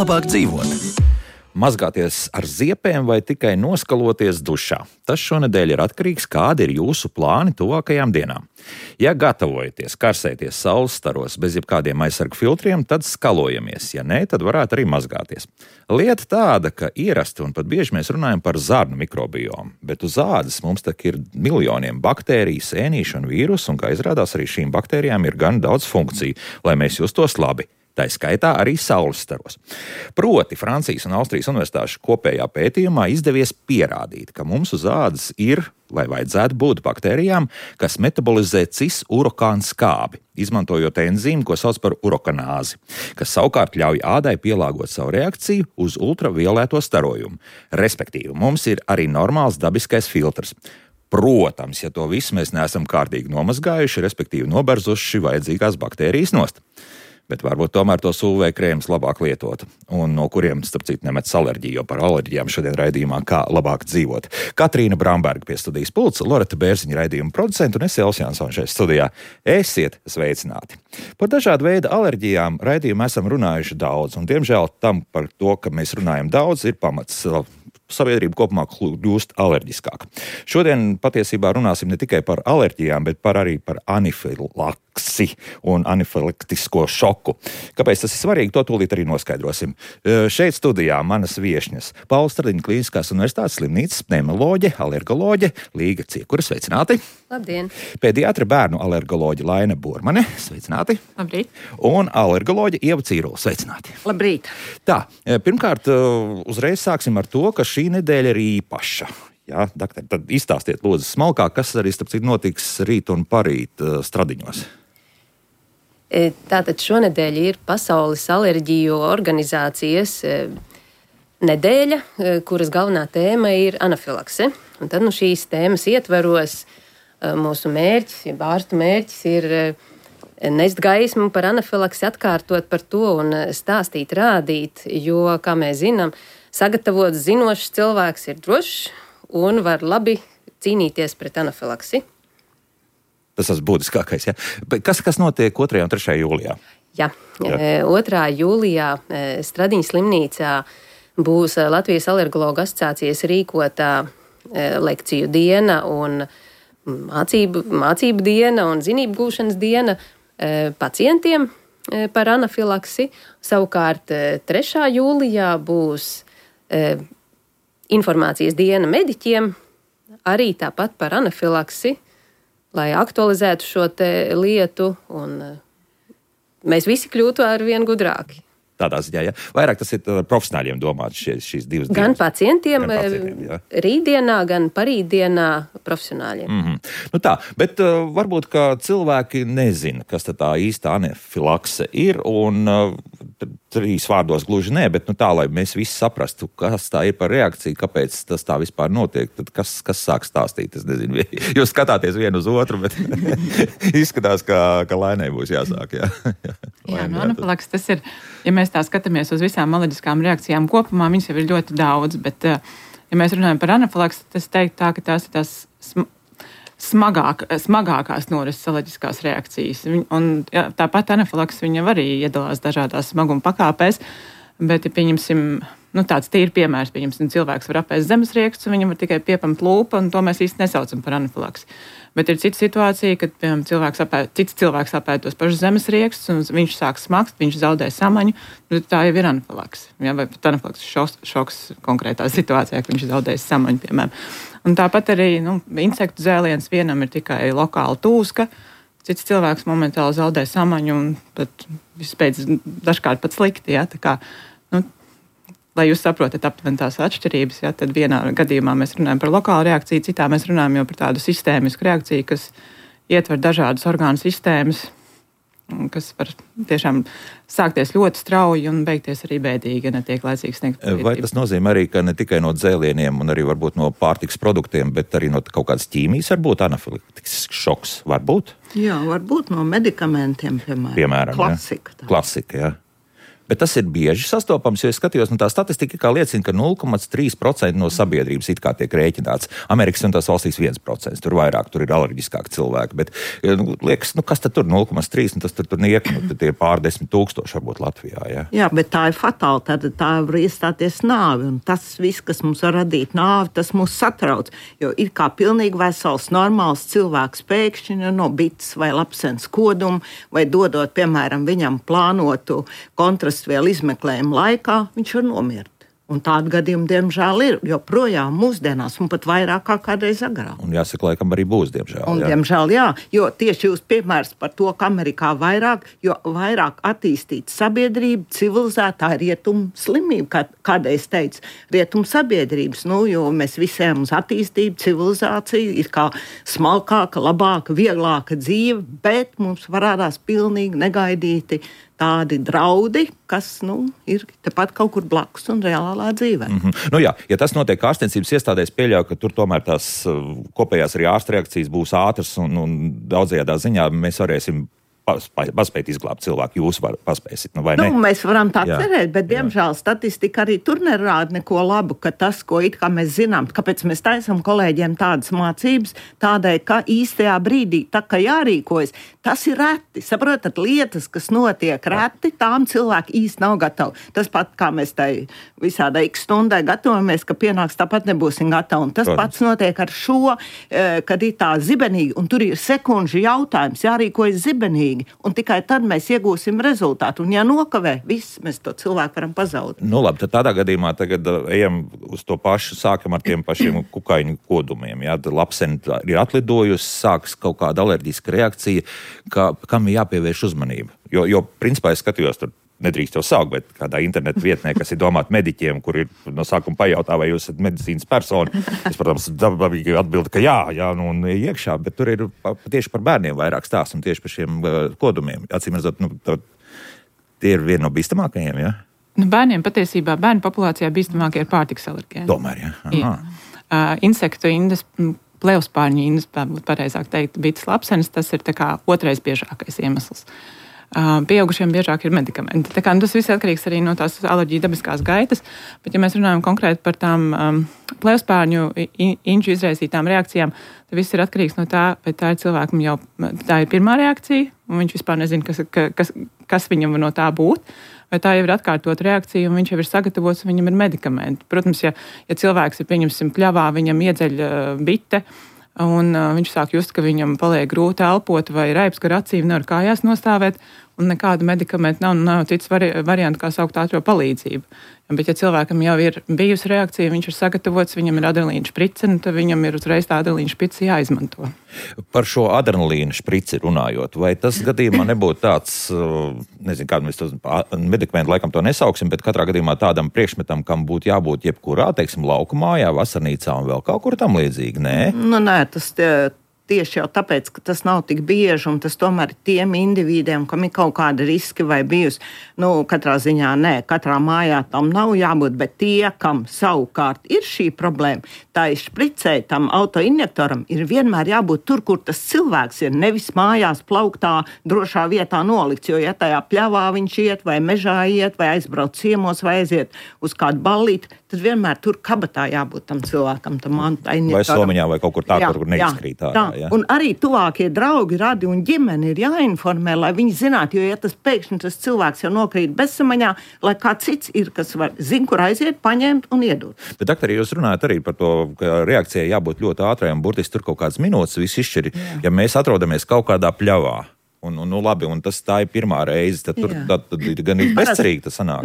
labāk dzīvot. Mazgāties ar ziepēm vai tikai noskaloties dušā? Tas šonedēļ ir atkarīgs, kādi ir jūsu plāni tuvākajām dienām. Ja gatavojaties karsēties saules staros bez jebkādiem aizsargu filtriem, tad skalojamies. Ja nē, tad varētu arī mazgāties. Lieta tāda, ka ierasti un pat bieži mēs runājam par zarnu mikrobiomu, bet uz ādas mums tak ir miljoniem baktēriju, sēnīšu un vīrusu, un kā izrādās, arī šīm baktērijām ir gan daudz funkciju, lai mēs justos labi. Tā skaitā arī saules staros. Proti, Francijas un Austrijas universitāšu kopējā pētījumā izdevies pierādīt, ka mums uz ādas ir, vai vajadzētu būt baktērijām, kas metabolizē cis-urokānu skābi, izmantojot enzīmu, ko sauc par urokanāzi, kas savukārt ļauj ādai pielāgot savu reakciju uz ultravioleto starojumu. Respektīvi, mums ir arī normāls dabiskais filtrs. Protams, ja to visu mēs neesam kārtīgi nomazgājuši, respektīvi noberzuši vajadzīgās baktērijas nost. Bet varbūt tomēr tos UV krēmus labāk lietot, un no kuriem, starp citu, nemets alerģiju, jo par alerģijām šodien raidījumā kā labāk dzīvot. Katrīna Bramberga pie studijas pulca, Loreta Bērziņa raidījuma producenta un es Elvis Jansons šeit studijā. Esiet sveicināti! Par dažādu veidu alerģijām raidījumu esam runājuši daudz, un diemžēl tam par to, ka mēs runājam daudz, ir pamats. Sabiedrība kopumā kļūst alerģiskāka. Šodien patiesībā runāsim ne tikai par alerģijām, bet arī par anifilaksi un anifilaktisko šoku. Kāpēc tas ir svarīgi, to tūlīt arī noskaidrosim. Šeit studijā manas viešņas Paula Stradiņa Kliniskās universitātes slimnīcas pneimoloģe, alergoloģe Līga Ciekura, sveicināti! Labdien! Pediatra bērnu alergoloģe Laina Burmane, sveicināti! Labrīt! Un alergoloģe Ieva Cīrula, sveicināti! Labrīt! Tā, pirmkārt, uzreiz sāksim ar to, ka šī nedēļa ir īpaša. Jā, doktor, tad izstāstiet lūdzu smalkāk, kas arī, starp citu, notiks rīt un parīt Stradiņos. Tātad šonedēļ ir Pasaules alerģiju organizācijas nedēļa, kuras galvenā tēma ir anafilakse. Un tad šīs tēmas ietveros mūsu mērķis, ja ārstu mērķis ir nest gaismu par anafilaksi, atkārtot par to un stāstīt, rādīt, jo, kā mēs zinām, sagatavots zinošs cilvēks ir drošs un var labi cīnīties pret anafilaksi. Tas ir būtiskākais, ja? Kas notiek 2. un 3. jūlijā? Jā. 2. jūlijā Stradiņas slimnīcā būs Latvijas alergologu asociācijas rīkotā lekciju diena un mācību diena un zinību gūšanas diena pacientiem par anafilaksi. Savukārt 3. jūlijā būs informācijas diena mediķiem, arī tāpat par anafilaksi, lai aktualizētu šo lietu un mēs visi kļūtu ar vien gudrāki. Tādā ziņā, ja? Vairāk tas ir profesionāļiem domāts šīs divas dienas. Gan pacientiem ja? Rītdienā, gan parītdienā profesionāļiem. Nu tā, bet varbūt, ka cilvēki nezina, kas tā īsta anafilakse ir, un 3 vārdos gluži nē, bet tā, lai mēs visi saprastu, kas tā ir par reakciju, kāpēc tas tā vispār notiek, tad kas sāk stāstīt, es nezinu. Jūs skatāties vienu uz otru, bet izskatās, ka Lainai būs jāsāk, jā. Jā, anafilakse tas ir, ja mēs tā skatāmies uz visām alerģiskām reakcijām kopumā, viņas jau ir ļoti daudz, bet, ja mēs runājam par anafilaksi, tas teikt tā, ka tās ir tās smagākās norises alerģiskās reakcijas. Un jā, tāpat anafilakse viņa arī iedalās dažādās smaguma pakāpēs, bet, ja pieņemsim, tāds tīri piemērs, pieņemsim, cilvēks var apēst zemesriekstus, un viņam var tikai piepamt lūpa, un to mēs īsti nesaucam par anafilaksi. Bet ir cita situācija, kad, piemēram, cits cilvēks apēd tos pašus zemesriekstus, un viņš sāk smakt, viņš zaudē samaņu, tā jau ir anafilakse. Ja, vai pat anafilakses šoks konkrētā situācijā, ka viņš zaudēs samaņu, piemēram. Un tāpat arī insektu zēliens vienam ir tikai lokāla tūska, cits cilvēks momentāli zaudē samaņu un pat vispēc dažkārt pat slikti. Ja, tā kā, lai jūs saprotat aptuveni tās atšķirības, ja, tad vienā gadījumā mēs runājam par lokālu reakciju, citā mēs runājam jau par tādu sistēmisku reakciju, kas ietver dažādas orgānu sistēmas, kas var tiešām sākties ļoti strauji un beigties arī bēdīgi, ja netiek laicīgi sniegt palīdzību. Vai tas nozīmē arī, ka ne tikai no dzēlieniem un arī varbūt no pārtikas produktiem, bet arī no kaut kādas ķīmijas var būt anafilaktisks šoks? Var būt? Jā, var būt no medikamentiem, piemēram. Klasika, jā. Bet tas ir bieži sastopams, jo es skatījos, tā statistika kā liecina, ka 0,3% no sabiedrības it kā tiek rēķināts. Amerikas un tās valstīs 1%, tur vairāk, tur ir alerģiskāki cilvēki, bet liekas, kas tad tur 0,3, un tas tur niek, tie ir pār 10 000 varbūt Latvijā, ja? Jā, bet tā ir fatāli, tad tā var iestāties nāvi, un tas viss, kas mums var radīt nāvi, tas mūs satrauc, jo ir kā pilnīgi vesels, normāls cilvēks pēkšņi no bites vai lapsens koduma, vai dodot, piemēram, viņam plānotu kontrastvielu izmeklējumu laikā, viņš var nomirt. Un tādu gadījumu, diemžēl, ir joprojām mūsdienās, un pat vairāk kā kādreiz agrāk. Un jāsaka, laikam arī būs, diemžēl. Un, diemžēl, jā, jo tieši jūs piemērs par to, ka Amerikā jo vairāk attīstīta sabiedrība, civilizētā ir rietumu slimība, kādreiz teicu, rietumu sabiedrības, jo mēs visiem uz attīstību, civilizāciju ir kā smalkāka, labāka, vieglāka dzīve, bet mums parādās pilnīgi negaidīti tādi draudi, kas ir tepat kaut kur blakus un reālā dzīvē. Jā, ja tas notiek ārstniecības iestādēs, pieļauju, ka tur tomēr tās kopējās arī ārsta reakcijas būs ātras un daudzajādā ziņā mēs varēsim paspēt izglābt cilvēku. Jūs paspēsit, vai ne? Mēs varam tā cerēt, bet, diemžēl, statistika arī tur nerāda neko labu, ka tas, ko it kā mēs zinām, kāpēc mēs taisam kolēģiem tādas mācības, tādēļ, ka īstajā brīdī, tā kā jārīkojas, tas ir reti. Saprotat, lietas, kas notiek reti, tām cilvēki īsti nav gatavi. Tas pat, kā mēs tai visādai x stundai gatavojamies, ka pienāks, tāpat nebūsim gatavi. Un tas pats notiek ar šo, kad ir tā zibenīgi, un tur ir sekundžu jautājums, jārīkojas zibenīgi. Un tikai tad mēs iegūsim rezultātu. Un ja nokavē, viss, mēs to cilvēku varam pazaudēt. Labi, tad tādā gadījumā tagad ejam uz to pašu, sākam ar tiem pašiem kukaiņu kodumiem. Jā, lapseni ir atlidojusi, sākas kaut kāda alerģiska reakcija, kam ir jāpievērš uzmanība. Jo principā es skatījos tur, nedrīkst jau saukt, bet kādā internetu vietnē, kas ir domāta mediķiem, kur ir no sākuma pajautā, vai jūs esat medicīnas persona. Es, protams, dabīgi atbildu, ka jā, un iekšā, bet tur ir tieši par bērniem vairāk stāsts un tieši par šiem kodumiem. Acīm redzot, tie ir viena no bīstamākajiem, jā? Bērniem patiesībā, bērnu populācijā bīstamākie ir pārtikas alergēni. Tomēr, jā. Insektu indes, plevspārņu indes, būtu pareizāk teikt, bites lapsenes, tas ir tā kā otrais biežākais iemesls. Pieaugušiem biežāk ir medikamenti. Tas viss atkarīgs arī no tās alerģiju dabiskās gaitas, bet ja mēs runājam konkrēti par tām plevspārņu inču izraisītām reakcijām, tad viss ir atkarīgs no tā, vai tā ir cilvēkam jau tā ir pirmā reakcija, un viņš vispār nezina, kas viņam no tā būt, vai tā jau ir atkārtot reakcija, un viņš jau ir sagatavots, un viņam ir medikamenti. Protams, ja cilvēks ir, pieņemsim, pļavā, viņam iedzeļ bite, un viņš sāk just, ka viņam paliek grūti elpot vai raips gar acīm, nevar kājās nostāvēt, un nekādu medikamentu nav cits variantu, kā saukt ātro palīdzību. Bet, ja cilvēkam jau ir bijusi reakcija, viņš ir sagatavots, viņam ir adrenalīna šprice, tad viņam ir uzreiz tā adrenalīna šprice jāizmanto. Par šo adrenalīna šprici runājot, vai tas gadījumā nebūtu tāds, nezinu, kādu mēs to medikamentu laikam to nesauksim, bet katrā gadījumā tādam priekšmetam, kam būtu jābūt jebkurā, teiksim, laukumājā, vasarnīcā un vēl kaut kur tam līdzīgi, nē? Nē, tas tieši jau tāpēc, ka tas nav tik bieži, un tas tomēr ir tiem individiem, kam ir kaut kāda riski vai bijusi. Katrā ziņā nē, katrā mājā tam nav jābūt, bet tie, kam savukārt ir šī problēma, tā ir špricē, tam autoinjektoram ir vienmēr jābūt tur, kur tas cilvēks ir, nevis mājās plauktā, drošā vietā nolikts, jo ja tajā pļavā viņš iet, vai mežā iet, vai aizbrauc ciemos, vai aiziet uz kādu ballīti, tad vienmēr tur kabatā jābūt tam cilvēkam, tam autoinjektoram. Vai somiņā, vai kaut kur tā, kur neizkrīt ārā. Jā. Un arī tuvākie draugi, radi un ģimeni ir jāinformē, lai viņi zinātu, jo ja tas pēkšņi tas cilvēks jau nokrīt bezsamaņā, lai kāds cits ir, kas zina, kur aiziet, paņemt un iedot. Bet, doktori, jūs runājat arī par to, ka reakcijai jābūt ļoti ātrai un burtiski tur kaut kādas minūtes viss izšķir. Ja mēs atrodamies kaut kādā pļavā, labi, un tā ir pirmā reize, tad tur gan ir bezcerīgi tas sanāk.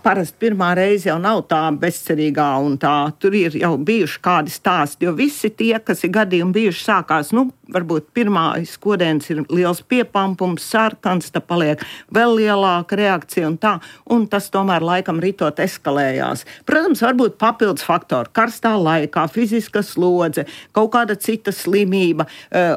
Parasti pirmā reize jau nav tā bezcerīgā un tā, tur ir jau bijuši kādi stāsti, jo visi tie, kas ir gadījumi bijuši sākās, varbūt pirmais kodēns ir liels piepampums, sarkans, tad paliek vēl lielāka reakcija un tas tomēr laikam ritot eskalējās. Protams, varbūt papildus faktori, karstā laikā, fiziska slodze, kaut kāda cita slimība,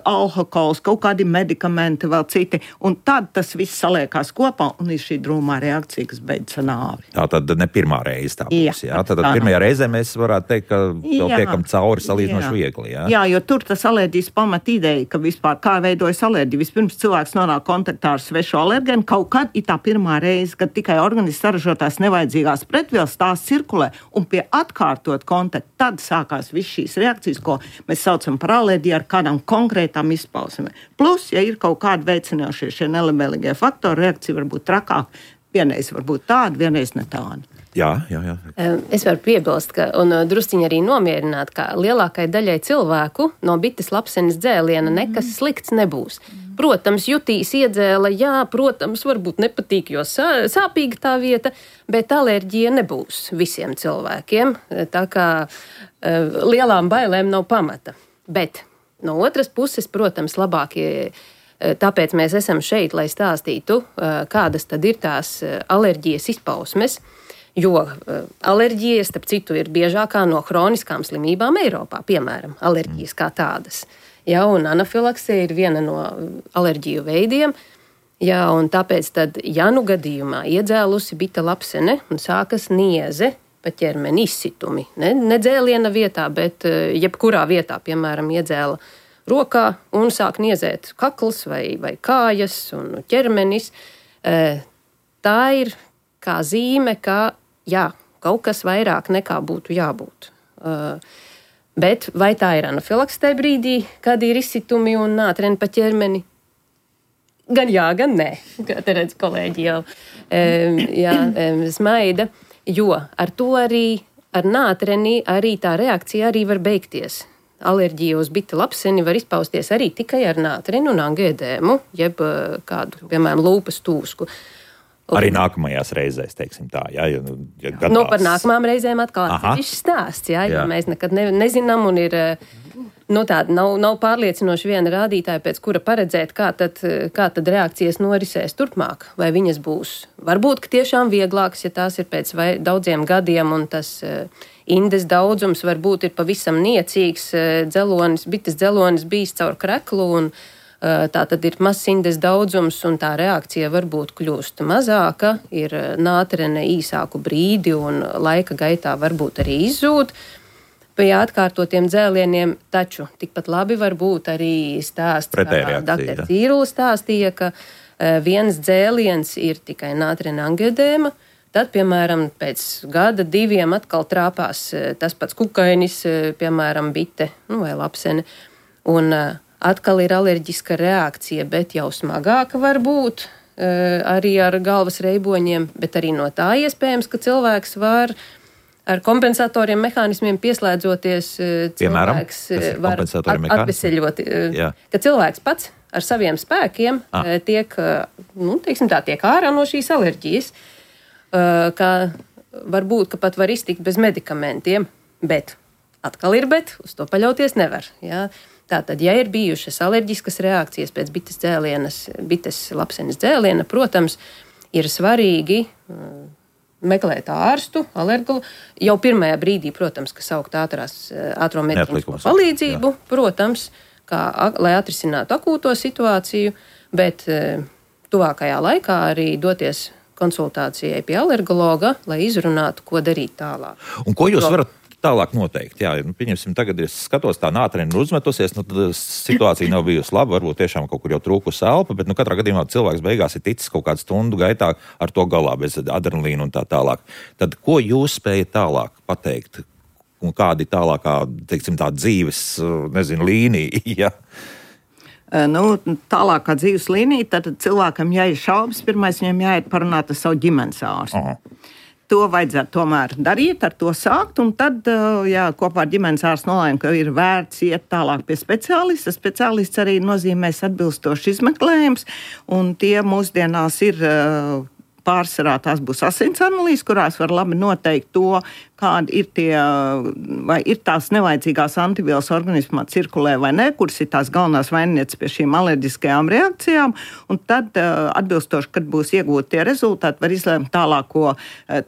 alkohols, kaut kādi medikamenti, medikamenti, vēl citi. Un tad tas viss saliekās kopā un ir šī drūmā reakcija, kas beidzas nāvi. Tā tad ne pirmā reize tā būs. Jā. Tad pirmajā reizē mēs varētu teikt, ka vēl tiekam cauri salīdzinoši viegli. Jā, jo tur tas alerģijas pamat ideja, ka vispār kā veidojas alerģija. Vispirms cilvēks nonāk kontaktā ar svešu alergēnu, kaut kad ir tā pirmā reize, kad tikai organisms saražotās nevajadzīgās pretvielas tās cirkulē un pie atkārtot kontaktu, tad sākās viss šīs reakcijas, ko mēs saucam par alerģiju ar kādām konkrētām izpausmēm. Plus, ja ir kaut kādi veicinošie šie nelabvēlīgie faktori, reakcija var būt trakāka. Vienreiz var būt tāda, vienreiz ne tāda. Jā. Es varu piebilst, un drusciņi arī nomierināt, ka lielākai daļai cilvēku no bites lapsenes dzēliena nekas slikts nebūs. Protams, jutīs iedzēla, jā, protams, varbūt nepatīk, jo sāpīga tā vieta, bet alerģija nebūs visiem cilvēkiem. Tā kā lielām bailēm nav pamata. Bet no otras puses, protams, labākie. Tāpēc mēs esam šeit, lai stāstītu, kādas tad ir tās alerģijas izpausmes. Jo alerģija, starp citu, ir biežākā no hroniskām slimībām Eiropā, piemēram, alerģijas kā tādas. Jā, un anafilakse ir viena no alerģiju veidiem. Jā, un tāpēc tad, ja nu gadījumā iedzēlusi bita lapsene un sākas nieze pa ķermeni izsitumi, ne dzēliena vietā, bet jebkurā vietā, piemēram, iedzēla rokā un sāk niezēt kakls vai kājas un ķermenis, tā ir kā zīme, ka jā, kaut kas vairāk nekā būtu jābūt. Bet vai tā ir anafilakse tajā brīdī, kad ir izsitumi un nātreni pa ķermeni? Gan jā, gan nē. Kā te redz kolēģi jau smaida. Jo ar to arī, ar nātreni, arī tā reakcija arī var beigties. Alerģija uz bita lapseni var izpausties arī tikai ar nātreni un angēdēmu, jeb kādu, piemēram, lūpas tūsku. Arī nākamajās reizēs, teiksim tā, ja gadās. Par nākamām reizēm atkal atsevišķs stāsts, jo mēs nekad nezinām un ir, tāda nav pārliecinoši viena rādītāja, pēc kura paredzēt, kā tad reakcijas norisēs turpmāk, vai viņas būs varbūt, ka tiešām vieglākas, ja tās ir pēc daudziem gadiem un tas indes daudzums varbūt ir pavisam niecīgs, bites dzelonis bijis caur kreklu un tā tad ir mazs indes daudzums un tā reakcija varbūt kļūst mazāka, ir nātrene īsāku brīdi un laika gaitā varbūt arī izzūd pie atkārtotiem dzēlieniem, taču tikpat labi var būt arī stāsts, kā dr. Cīrula stāstīja, ka viens dzēliens ir tikai nātrene angēdēma, tad, piemēram, pēc gada, 2 atkal trāpās tas pats kukainis, piemēram, bite vai lapsene, un atkal ir alerģiska reakcija, bet jau smagāka var būt arī ar galvas reiboņiem, bet arī no tā iespējams, ka cilvēks var ar kompensatoriem mehānismiem pieslēdzoties, cilvēks var atveseļot, ka cilvēks pats ar saviem spēkiem tiek ārā no šīs alerģijas, ka varbūt, ka pat var iztikt bez medikamentiem, bet atkal ir bet, uz to paļauties nevar, jā. Tātad, ja ir bijušas alerģiskas reakcijas pēc bites lapsenes dzēliena, protams, ir svarīgi meklēt ārstu, alergolu. Jau pirmajā brīdī, protams, ka saukt ātro medicīnisko palīdzību, protams, lai atrisinātu akūto situāciju, bet tuvākajā laikā arī doties konsultācijai pie alergologa, lai izrunātu, ko darīt tālāk. Un ko jūs varat tālāk noteikti? Jā, pieņemsim, tagad es skatos, tā nātrene ir uzmetusies, tad situācija nav bijusi laba, varbūt tiešām kaut kur jau trūkusi elpa, bet katrā gadījumā cilvēks beigās ir ticis kaut kādu stundu gaitā ar to galā, bez adrenalīna un tā tālāk. Tad ko jūs spējat tālāk pateikt? Un kādi tālākā, teiksim, tā dzīves, līnija, ja? Tālākā dzīves līnija, tad cilvēkam jāir šaubas, pirmais viņam jāiet parunāt ar savu ģimenes ārstu. To vajadzētu tomēr darīt, ar to sākt, un tad, kopā ar ģimenes ārstu nolēma, ka ir vērts iet tālāk pie speciālista. Speciālists arī nozīmēs atbilstoši izmeklējums, un tie mūsdienās ir pārsvarā tās būs asins analīzes, kurās var labi noteikt to, kādi ir vai ir tās nevajadzīgās antivielas organismā cirkulē vai ne, kuras ir tās galvenās vainnieces pie šīm alerģiskajām reakcijām, un tad atbilstoši, kad būs iegūti tie rezultāti, var izlēmt tālāko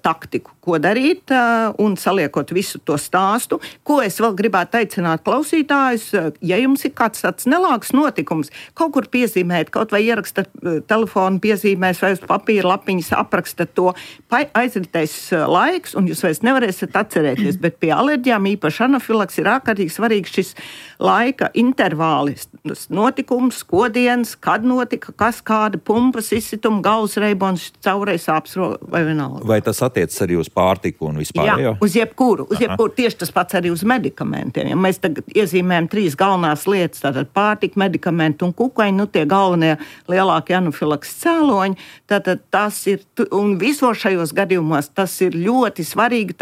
taktiku, ko darīt, un saliekot visu to stāstu. Ko es vēl gribētu aicināt klausītājus, ja jums ir kāds tāds nelāks notikums, kaut kur piezīmēt, kaut vai ierakstat telefonu piezīmēs vai uz papīra lapiņas, aprakstat to, aizritēs laiks, un jūs vairs nevarēsiet atcerēties, bet pie alerģijām īpaši anafilaks ir ārkārtīgi svarīgs šis laika intervāli, notikums, kodienas, kad notika, kas kāda pumpas izsituma, galvas reibons, caurais sāpes vai vienalga. Vai tas attiecas arī uz pārtiku un vispār? Jā, uz jebkuru. Tieši tas pats arī uz medikamentiem. Ja mēs tagad iezīmējam 3 galvenās lietas, tātad pārtika, medikamenti un kukaiņi, tie galvenie lielākie anafilaks cēloņi, tātad tas ir, un visos šajos gadījumos tas ir ļoti svarīgi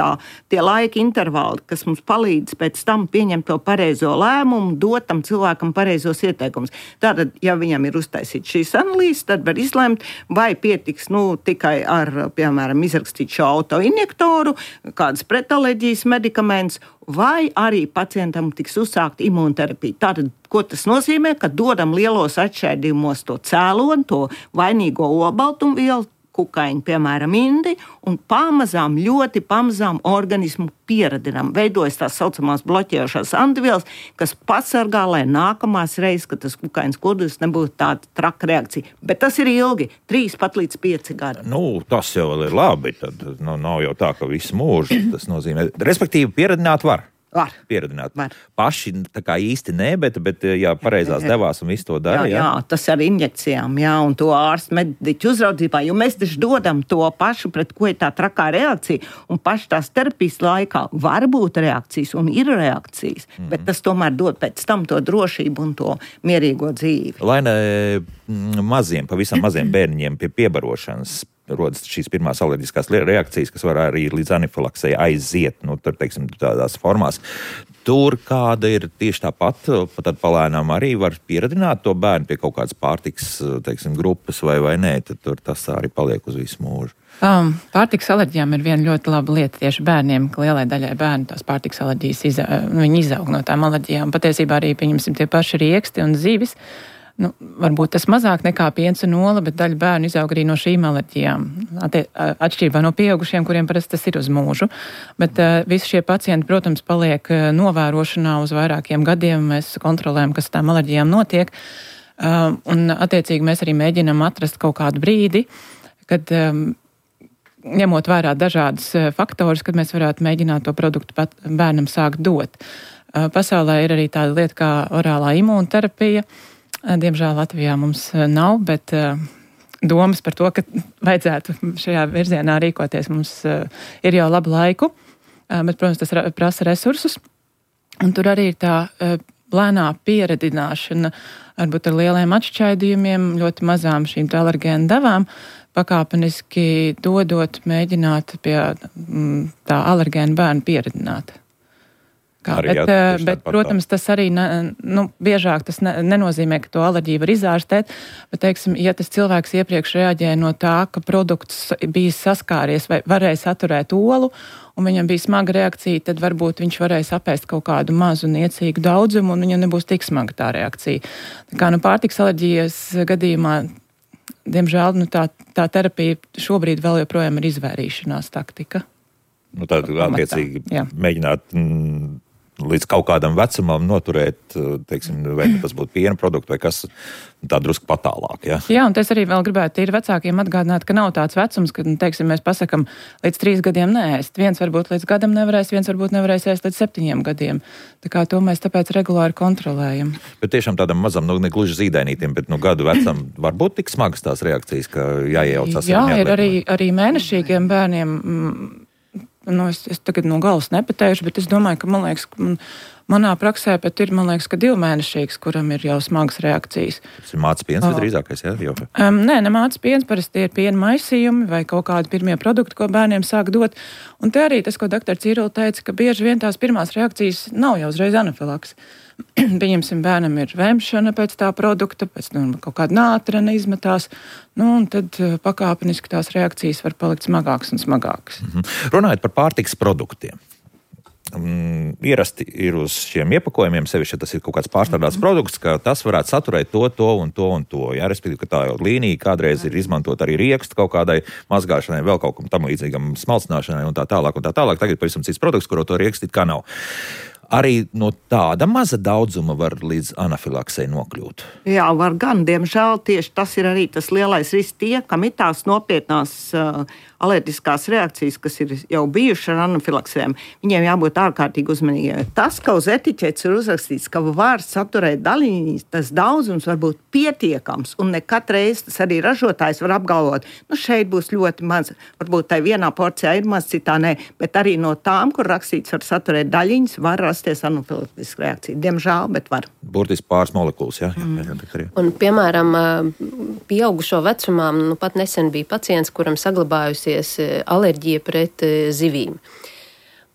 tie laika intervāli, kas mums palīdz pēc tam pieņemt to pareizo lēmumu, dot tam cilvēkam pareizos ieteikumus. Tātad, ja viņam ir uztaisīts šīs analīzes, tad var izlemt, vai pietiks tikai ar, piemēram, izrakstīt šo autoinjektoru, kādas pretaleģijas medikaments, vai arī pacientam tiks uzsākt imunterapija. Tātad, ko tas nozīmē? Ka dodam lielos atšķaidījumos to cēloni, to vainīgo olbaltumvielu, kukaiņu, piemēram, indi, un pamazām, ļoti pamazām organismu pieradinām. Veidojas tās saucamās bloķējošās antivielas, kas pasargā, lai nākamās reizes, kad tas kukaiņas kodulis nebūtu tāda traka reakcija. Bet tas ir ilgi, 3 pat līdz 5 gadi. Tas jau ir labi, tad nav jau tā, ka visu mūžu tas nozīmē. Respektīvi, pieradināt var. Var. Pieradināt. Var. Paši tā kā īsti ne, bet ja pareizās devās un visu to dara. Jā, tas ar injekcijām, un to ārstu mediķu uzraudzībā, jo mēs taču dodam to pašu, pret ko ir tā trakā reakcija, un paši tās terapijas laikā var būt reakcijas un ir reakcijas, bet tas tomēr dod pēc tam to drošību un to mierīgo dzīvi. Lai ne pavisam maziem bērniņiem pie piebarošanas rodas šīs pirmās alerģiskās reakcijas, kas var arī līdz anafilaksei aiziet, tur, teiksim, tādās formās. Tur kāda ir tieši tāpat, tad palēnām arī var pieradināt to bērnu pie kaut kādas pārtikas, teiksim, grupas vai nē, tad tur tas arī paliek uz visu mūžu. Pārtikas alerģijām ir viena ļoti laba lieta tieši bērniem, ka lielai daļai bērnu tās pārtikas alerģijas viņi izaug no tām alerģijām. Patiesībā arī, pieņemsim, tie paši rieksti un zivis. Varbūt tas mazāk nekā piens un ola, bet daļa bērnu izaug arī no šīm alerģijām. Atšķirībā no pieaugušiem, kuriem parasti tas ir uz mūžu. Bet visi šie pacienti, protams, paliek novērošanā uz vairākiem gadiem. Mēs kontrolējam, kas tām alerģijām notiek. Un attiecīgi mēs arī mēģinam atrast kaut kādu brīdi, kad ņemot vērā dažādas faktorus, kad mēs varētu mēģināt to produktu bērnam sākt dot. Pasaulē ir arī tāda lieta kā orālā imūnterapija. Diemžēl Latvijā mums nav, bet domas par to, ka vajadzētu šajā virzienā rīkoties, mums ir jau labu laiku, bet, protams, tas prasa resursus. Un tur arī ir tā lēnā pieredināšana, varbūt ar lieliem atšķaidījumiem, ļoti mazām šīm alergēnu devām, pakāpeniski dodot, mēģināt pie tā alergēnu bērnu pieredināt. Bet, protams, tas arī biežāk tas nenozīmē, ka to alerģiju var izārstēt, bet, teiksim, ja tas cilvēks iepriekš reaģēja no tā, ka produkts bija saskāries vai varēja saturēt olu, un viņam bija smaga reakcija, tad varbūt viņš varēs apēst kaut kādu mazu niecīgu daudzumu, un viņam nebūs tik smaga tā reakcija. Tā kā pārtikas alerģijas gadījumā, diemžēl, tā terapija šobrīd vēl joprojām ir izvairīšanās taktika. Tad attiecīgi mēģināt līdz kaut kādam vecumam noturēt, teiksim, vai tas būtu piena produkti vai kas tā drusku patālāk. Jā, un es arī vēl gribētu ir vecākiem atgādināt, ka nav tāds vecums, ka, teiksim, mēs pasakam līdz 3 gadiem neēst. Viens varbūt līdz gadam nevarēs, viens varbūt nevarēs ēst līdz 7 gadiem. Tā kā to mēs tāpēc regulāri kontrolējam. Bet tiešām tādam mazam, ne gluži zīdainītiem, bet gadu vecam var būt tik smagas tās reakcijas, ka jāiejaucas. Jā, ir arī mēnešīgiem bērniem. Es tagad no galvas nepateikšu, bet es domāju, ka, man liekas, Manā praksē pat ir, man liekas, ka 2-mēnešīgs, kuram ir jau smagas reakcijas. Tas ir mātes piens visdrīzākais, jā? Jau. Nē, ne mātes piens, parasti ir piena maisījumi vai kaut kādi pirmie produkti, ko bērniem sāk dot. Un te arī tas, ko dr. Cīrula teica, ka bieži vien tās pirmās reakcijas nav jau uzreiz anafilakse. Pieņemsim, bērnam ir vemšana pēc tā produkta, pēc kaut kāda nātrena izmetās, un tad pakāpeniski tās reakcijas var palikt smagākas un smagākas. Runājot par pārtikas produktiem. Ierasti ir uz šiem iepakojumiem, sevišķi, ja tas ir kaut kāds pārstrādāts produkts, ka tas varētu saturēt to un to. Jā, respektīvi, ka tā jau līnija kādreiz ir izmantot arī riekstu kaut kādai mazgāšanai, vēl kaut kam tam līdzīgam smalcināšanai un tā tālāk. Tagad pavisam cits produkts, kuru to riekstu it kā nav. Arī no tāda maza daudzuma var līdz anafilaksei nokļūt. Jā, var gan. Diemžēl tieši tas ir arī tas lielais risks tie, kam ir tās nopietnās alerģiskās reakcijas, kas ir jau bijušas ar anafilaksēm. Viņiem jābūt ārkārtīgi uzmanīgiem. Tas, ka uz etiķetes ir uzrakstīts, ka var saturēt daļiņas, tas daudzums var būt pietiekams, un ne katreiz tas arī ražotājs var apgalvot, šeit būs ļoti maz, varbūt tai vienā porcijā ir maz, citā nē, bet arī no tām, kur rakstīts var saturēt daļiņas, var rasties anafilaktiska reakcija. Diemžēl, bet var. Burtiski pāris molekulas, jā. Un, piemēram, pieaugušo vecumā, pat nesen bija pacients, kuram saglabājusies alerģija pret zivīm.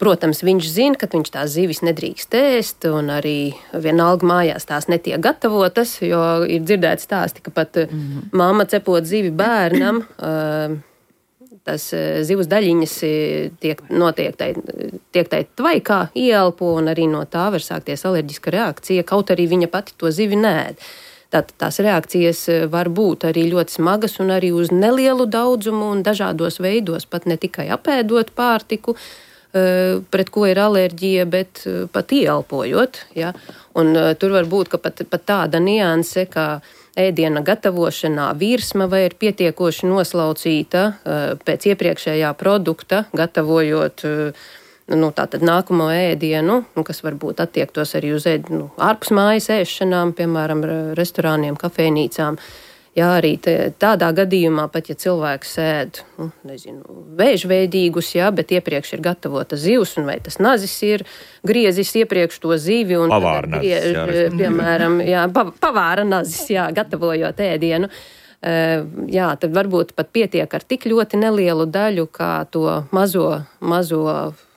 Protams, viņš zina, ka viņš tās zivis nedrīkst ēst, un arī vienalga mājās tās netiek gatavotas, jo ir dzirdēts stāsti, ka pat mamma cepot zivi bērnam, tas zivs daļiņas tiek tai tvaikā ieelpo, un arī no tā var sākties alerģiska reakcija, kaut arī viņa pati to zivi neēd. Tātad tās reakcijas var būt arī ļoti smagas un arī uz nelielu daudzumu un dažādos veidos, pat ne tikai apēdot pārtiku, pret ko ir alerģija, bet pat ieelpojot. Ja? Un tur var būt, ka pat tāda nianse, kā ēdiena gatavošanā virsma vai ir pietiekoši noslaucīta pēc iepriekšējā produkta, gatavojot tātad nākamo ēdienu, kas varbūt attiektos arī uz ārpus mājas ēšanām, piemēram, restorāniem, kafejnīcām. Jā, arī tādā gadījumā, pat ja cilvēks ēd, vēžveidīgus, bet iepriekš ir gatavota zivs, un vai tas nazis ir griezis iepriekš to zivi, un pavāra nazis, piemēram, pavāra nazis, gatavojot ēdienu. Tad varbūt pat pietiek ar tik ļoti nelielu daļu, kā to mazo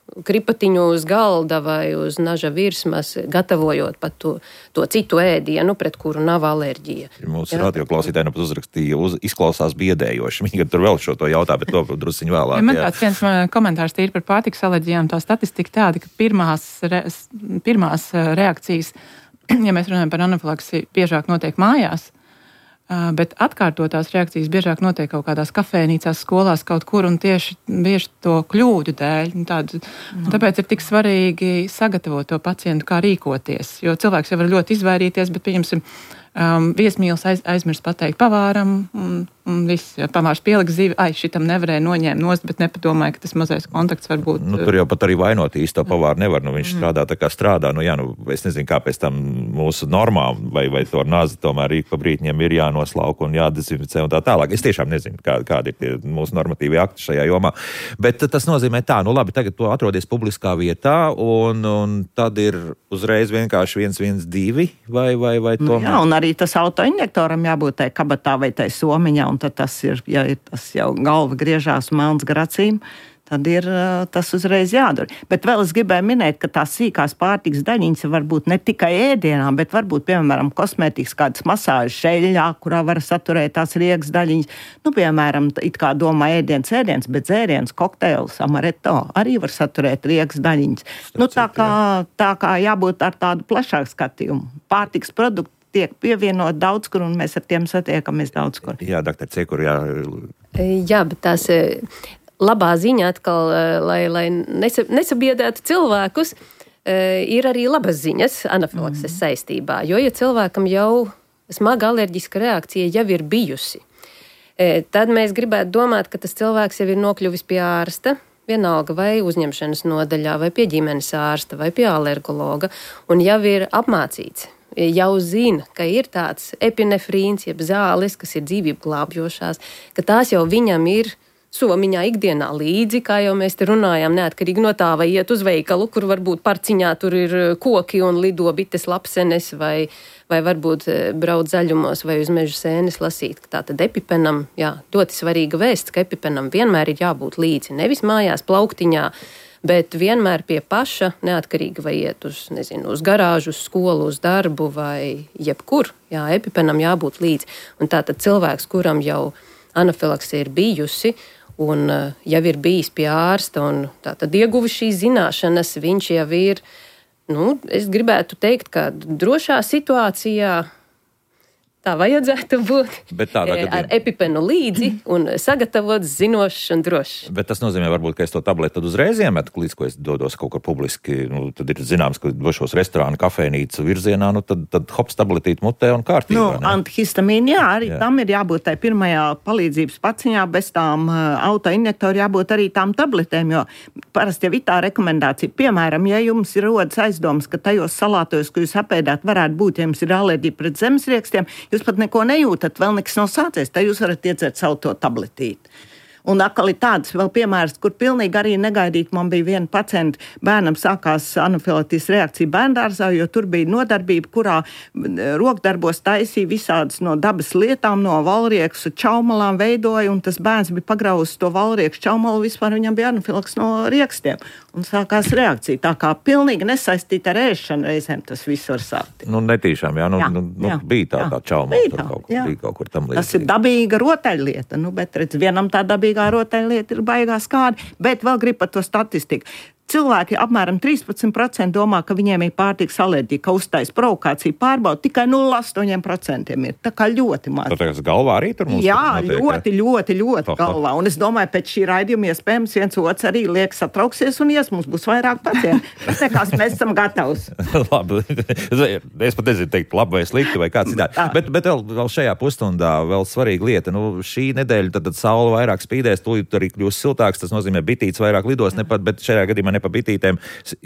kripatiņu uz galda vai uz naža virsmas, gatavojot pat to citu ēdienu, pret kuru nav alerģija. Mūsu radioklausītāji pat uzrakstīja, izklausās biedējoši. Viņi tur vēl šo to jautā, bet to drusciņu vēlāk. Man tāds viens komentārs tīri par pārtikas alerģijām, tā statistika tāda, ka pirmās reakcijas, ja mēs runājam par anafilaksi, biežāk notiek mājās, bet atkārtotās reakcijas biežāk notiek kaut kādās kafejnīcās, skolās kaut kur, un tieši to kļūdu dēļ. Tāpēc ir tik svarīgi sagatavot to pacientu, kā rīkoties, jo cilvēks jau var ļoti izvairīties, bet, pieņemsim, viesmīlis aizmirst pateikt pavāram, un viss, pavārs pieliks zivi, šitam nevarēja noņēmt nost, bet nepadomāja, ka tas mazais kontakts var būt. Tur jau pat arī vainot īsto pavāru nevar, viņš strādā tā kā strādā, es nezinu, kāpēc tam mūsu normām vai to nazi tomēr ik pa brītņiem ir jānoslauka un jādezinficē un tā tālāk. Es tiešām nezinu, kādi ir tie mūsu normatīvi akti šajā jomā, bet tas nozīmē tā, labi, tagad to atrodies publiskā vietā, un tad ir uzreiz vienkārši 112 vai tomēr? Jā, un arī tas autoinjektoram jābūt tai kabatā vai tai somiņā, un tad tas ir, ja tas jau galva griežās melns gar acīm, tad ir tas uzreiz jādara. Bet vēl es gribēju minēt, ka tās sīkās pārtikas daļiņas var būt ne tikai ēdienā, bet varbūt, piemēram, kosmētikas kādas masāžas šeļļā, kurā var saturēt tās riegas daļiņas. Piemēram, it kā domā ēdiens, bet dzēriens, kokteils, amaretto arī var saturēt riegas daļiņas. Tā kā jābūt ar tādu plašāku skatījumu. Pārtikas produkti tiek pievienot daudz kur, un mēs ar tiem satiekamies daudz kur. Jā, doktor Cekur, jā. Jā, bet tās labā ziņa atkal, lai nesabiedētu cilvēkus, ir arī labas ziņas anafilakses saistībā, jo, ja cilvēkam jau smaga alerģiska reakcija jau ir bijusi, tad mēs gribētu domāt, ka tas cilvēks jau ir nokļuvis pie ārsta, vienalga vai uzņemšanas nodaļā, vai pie ģimenes ārsta, vai pie alergologa, un jau ir apmācīts. Jau zina, ka ir tāds epinefrīns, jeb zāles, kas ir dzīvību glābjošās, ka tās jau viņam ir somiņā ikdienā līdzi, kā jau mēs te runājām, neatkarīgi no tā, vai iet uz veikalu, kur varbūt parciņā tur ir koki un lido bites lapsenes, vai varbūt brauc zaļumos vai uz meža sēnes lasīt. Tātad epipenam, ļoti svarīga vēsts, ka epipenam vienmēr ir jābūt līdzi. Nevis mājās plauktiņā, bet vienmēr pie paša, neatkarīgi vai iet uz garāžu, uz skolu, uz darbu vai jebkur. Jā, epipenam jābūt līdzi. Un tātad cilvēks, kuram jau anafilakse ir bijusi, un jau ir bijis pie ārsta un tātad ieguvis šīs zināšanas, viņš jau ir, es gribētu teikt, ka drošā situācijā tā vajadzētu būt ar epipenu līdzi un sagatavots, zinošs un drošs. Bet tas nozīmē, varbūt, ka es to tableti tad uzreiz iemetu, līdz ko es dodos kaut kur publiski, tad ir zināms, ka došos restorānu, kafejnīcu virzienā, tad hops tabletīt mutē un kārtībā. Antihistamīni, arī tam ir jābūt tai pirmajā palīdzības paciņā, bez tām autoinjektori jābūt arī tām tabletēm, jo parasti jau ir tā rekomendācija. Piemēram, ja jums ir rodas aizdomas, ka tajos salātojos, ko jūs apēdāt, varētu būt, ja jums ir alerģija pret zemesriekstiem, jūs pat neko nejūtat, vēl nekas nav sācies, tad jūs varat iedzert savu to tabletīti. Un atkal ir tāds vēl piemērs, kur pilnīgi arī negaidīt. Man bija viena pacienta, bērnam sākās anafilaktijas reakcija bērndārzā, jo tur bija nodarbība, kurā rokdarbos taisīja visādas no dabas lietām, no valrieksu čaumalām veidoja, un tas bērns bija pagrauzis to valrieksu čaumalu, vispār viņam bija anafilaks no riekstiem. Un sākās reakcija. Tā kā pilnīgi nesaistīta ar ēšanu reizēm tas viss var sākt. Netīšām, bija tā čaumala, bija kaut kur tam līdzīgi. Tas ir dabīga rotaļlieta, bet redz, vienam tā dabīgā rotaļlieta ir baigā skādi, bet vēl grib par to statistiku. Cilvēki apmēram 13% domā, ka viņiem ir pārtikas alerģija, ka uztais provokāciju pārbauda, tikai 0,8% ir. Tā kā ļoti maz. Tas galvā arī tur mums notiek? Ļoti galvā. Un es domāju, pēc šī raidījuma iespējams viens otrs arī liek satrauksies un mums būs vairāk pacientu. Tas nekās mēs esam gatavs. Labi. Es pat nezinu teikt labi vai slikti vai kā citādi. Bet vēl šajā pusstundā vēl svarīga lieta. Šī nedēļa tad saule vairāk spīdēs, tūlīt arī kļūs siltāks, tas nozīmē bitītes vairāk lidos, bet šajā gadījumā ne pa bitītēm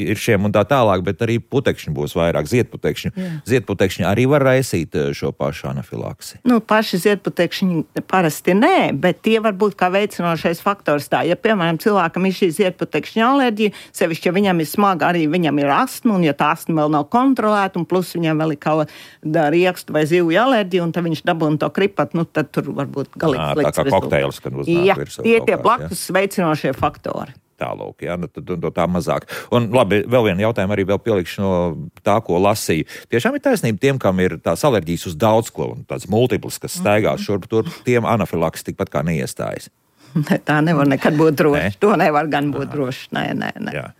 ir šiem un tā tālāk, bet arī putekšņi būs vairāk, ziedputekšņi. Ziedputekšņi arī var raisīt šo pašu anafilaksi. Paši ziedputekšņi parasti nē, bet tie var būt kā veicinošais faktors tā. Ja, piemēram, cilvēkam ir šī ziedputekšņa alerģija, sevišķi, ja viņam ir smaga, arī viņam ir astma, un ja tā astma vēl nav kontrolēta, un plus viņam vēl ir kaut riekstu vai zivju alerģija, un tad viņš dabūna to kripat, tad tur varbūt galīgi slikts rezultāts. Tā kā kokteils, kad uznāk virsū. Tie blakus veicinošie faktori. Tālūk, tad tā mazāk. Un labi, vēl vienu jautājumu arī vēl pielikšu no tā, ko lasīju. Tiešām ir taisnība tiem, kam ir tās alerģijas uz daudz ko, un tāds multiplis, kas staigās šurp tur, tiem anafilaks tikpat kā neiestājas. Tā nevar nekad būt droši. To nevar gan būt droši. Nē. Jā.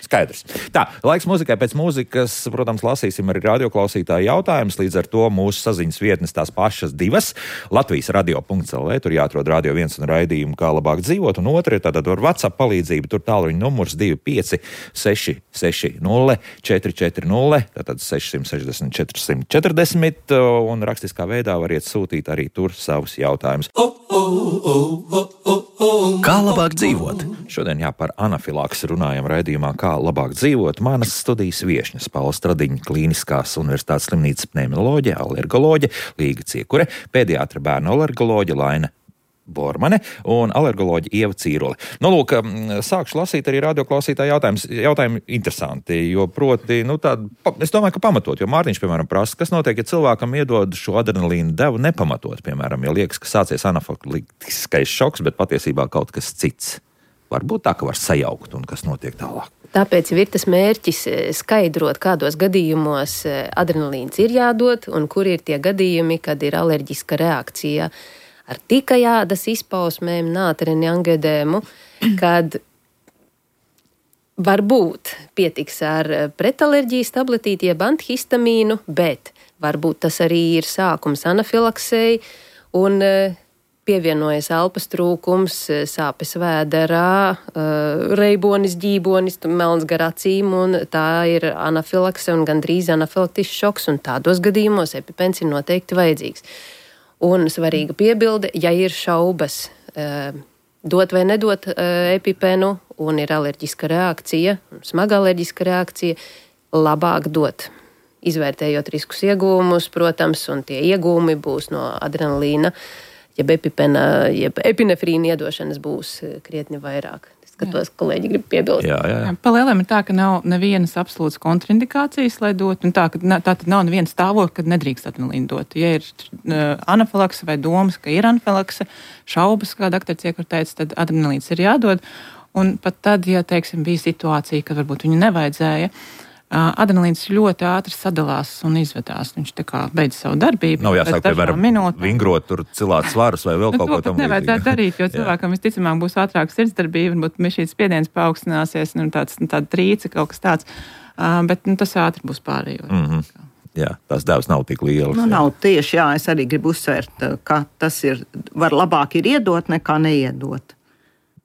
Skaidrs. Tā, laiks mūzikai. Pēc mūzikas, protams, lasīsim arī radioklausītāju jautājumus. Līdz ar to mūsu saziņas vietnes tās pašas divas. Latvijas radio.lv, tur jāatrod Radio 1 un raidījumu, kā labāk dzīvot. Un otra ir tātad ar WhatsApp palīdzību. Tur tālruņa numurs 25 660 440, tātad 660 440. Un rakstiskā veidā variet sūtīt arī tur savus jautājumus. Kā labāk dzīvot? Šodien par anafilaksi runājam raidījumā Kā labāk dzīvot. Manas studijas viešņas Paula Stradiņa, Klīniskās universitātes slimnīcas pneimoloģe, alergoloģe Līga Ciekure, pēdiatra bērnu alergoloģe Laina Bormane un alergoloģe Ieva Cīrole. Lūk, sākšu lasīt arī radioklausītāju jautājumus. Jautājumi interesanti, jo proti, es domāju, ka pamatot, jo Mārtiņš, piemēram, prasa, kas notiek, ja cilvēkam iedod šo adrenalīnu devu nepamatot, piemēram, ja liekas, ka sācies anafilaktiskais šoks, bet patiesībā kaut kas cits. Varbūt tā, ka var sajaukt un kas notiek tālāk. Tāpēc ir tas mērķis skaidrot, kādos gadījumos adrenalīns ir jādod un kur ir tie gadījumi, kad ir alerģiska reakcija ar tikai ādas izpausmēm, nātreni, angedēmu, kad varbūt pietiks ar pretalerģijas tabletīti jeb antihistamīnu, bet varbūt tas arī ir sākums anafilaksei un pievienojas elpas trūkums, sāpes vēderā, reibonis, ģībonis, melns gar acīm, un tā ir anafilakse un gandrīz anafilaktisks šoks, un tādos gadījumos epipens ir noteikti vajadzīgs. Un svarīga piebilde, ja ir šaubas dot vai nedot epipenu un ir alerģiska reakcija, smaga alerģiska reakcija, labāk dot. Izvērtējot riskus iegūmus, protams, un tie iegūmi būs no adrenalīna jeb epinefrīna iedošanas būs krietni vairāk. Skatos, kolēģi grib piebilst. Jā. Palielam ir tā, ka nav nevienas absolūtas kontraindikācijas, lai dotu, un tā tad nav neviena stāvokļa, kad nedrīkst adrenalīnu dot. Ja ir anafilakse vai domas, ka ir anafilakse, šaubas, kā dakteris iekur teica, tad adrenalīns ir jādod. Un pat tad, ja, teiksim, bija situācija, kad varbūt viņu nevajadzēja, adrenalīns ļoti ātri sadalās un izvedās. Viņš tā kā beidz savu darbību. Nav jāsāk, piemēram, vingrot, tur cilāt svarus vai vēl kaut ko tam līdzīgi. Nevajadzētu darīt, jo cilvēkam visticamāk būs ātrāka sirdsdarbība, varbūt šīs spiediens paaugstināsies, tāda trīce, kaut kas tāds, bet tas ātri būs pārējot. Mm-hmm. Jā, tās devas nav tik lielas. Nav tieši, es arī gribu uzsvērt, ka tas var labāk ir iedot nekā neiedot.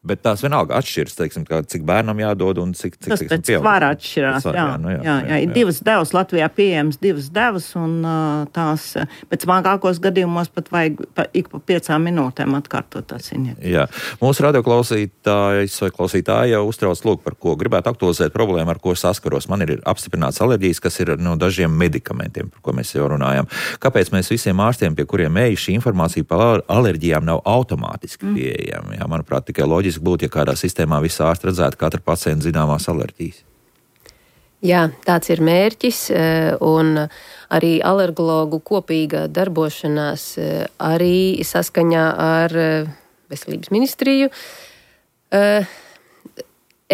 Bet tās vienalga atšķiras, teiksim, cik bērnam jādod un cik tas pēc svara atšķirās. Jā. Ir divas devas, Latvijā pieejams divas devas, un tās pēc smagākos gadījumos pat vajag ik pa 5 minūtēm atkārtot tās injekcijas. Jā, mūsu radioklausītājs vai klausītāja uztrauc par ko gribētu aktualizēt problēmu, ar ko saskaros. Man ir apstiprināts alerģijas, kas ir no dažiem medikamentiem, par ko mēs jau runājam. Kāpēc mēs visiem ārstiem, pie kuriem ej, šī informācija par alerģijām nav automātiski pieejama? Jā, manuprāt, tikai loģiski būtu, ja kādā sistēmā visi ārsti redzētu katra pacienta zināmās alerģijas. Jā, tāds ir mērķis, un arī alergologu kopīga darbošanās arī saskaņā ar Veselības ministriju.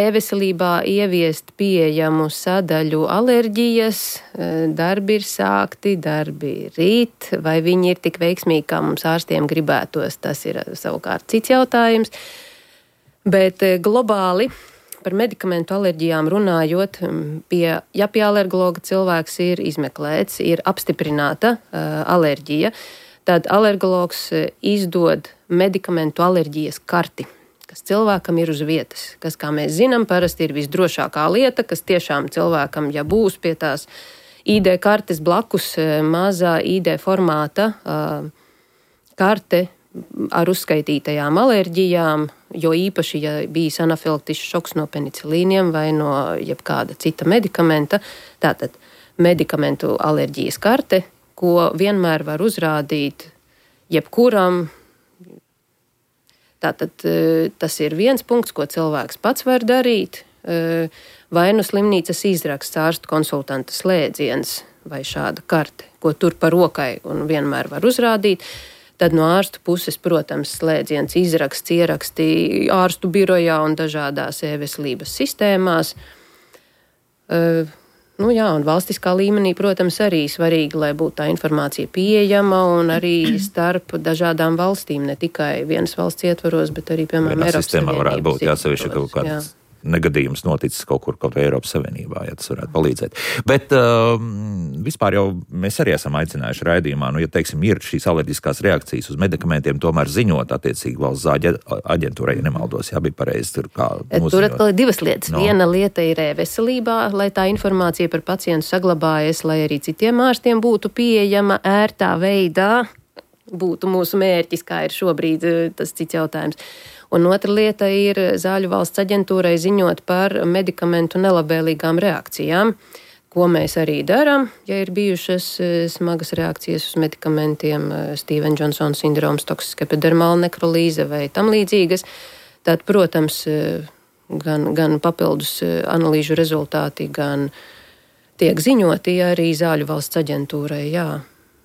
E-veselībā ieviest pieejamu sadaļu alerģijas, darbi ir sākti, darbi rīt, vai viņi ir tik veiksmīgi, kā mums ārstiem gribētos, tas ir savukārt cits jautājums. Bet globāli par medikamentu alerģijām runājot, ja pie alergologa cilvēks ir izmeklēts, ir apstiprināta alerģija, tad alergologs izdod medikamentu alerģijas karti, kas cilvēkam ir uz vietas, kas, kā mēs zinām, parasti ir visdrošākā lieta, kas tiešām cilvēkam, ja būs pie tās ID kartes blakus mazā ID formāta karte ar uzskaitītajām alerģijām, jo īpaši, ja bijis anafilaktisks šoks no penicilīniem vai no jebkāda cita medikamenta, tātad medikamentu alerģijas karte, ko vienmēr var uzrādīt jebkuram. Tātad tas ir viens punkts, ko cilvēks pats var darīt, vai nu slimnīcas izraksts ārstu konsultanta slēdziens vai šāda karte, ko tur pa rokai un vienmēr var uzrādīt. Tad no ārstu puses, protams, slēdziens izraksts, ieraksti ārstu birojā un dažādās e-veselības sistēmās. Un valstiskā līmenī, protams, arī svarīgi, lai būtu tā informācija pieejama un arī starp dažādām valstīm, ne tikai vienas valsts ietvaros, bet arī, piemēram, Eiropas Savienības. Varētu būt jāsevišķi kaut kāds negadījums noticis kaut kur Eiropas Savienībā, ja tas varētu palīdzēt. Bet vispār jau mēs arī esam aicinājuši raidījumā, ja, teiksim, ir šīs alerģiskās reakcijas uz medikamentiem, tomēr ziņot attiecīgi valsts aģentūrai, ja nemaldos, bija pareizi tur kā noziņot. Tur atkal ir divas lietas. Viena lieta ir e-veselībā, lai tā informācija par pacientu saglabājas, lai arī citiem ārstiem būtu pieejama ērtā veidā, būtu mūsu mērķis, kā ir šobrīd tas cits jautājums. Un otra lieta ir Zāļu valsts aģentūrai ziņot par medikamentu nelabvēlīgām reakcijām, ko mēs arī darām, ja ir bijušas smagas reakcijas uz medikamentiem, Stevens-Johnson sindroms, toksiska epidermāla nekrolīze vai tam līdzīgas. Tad, protams, gan papildus analīžu rezultāti, gan tiek ziņoti arī Zāļu valsts aģentūrai, jā.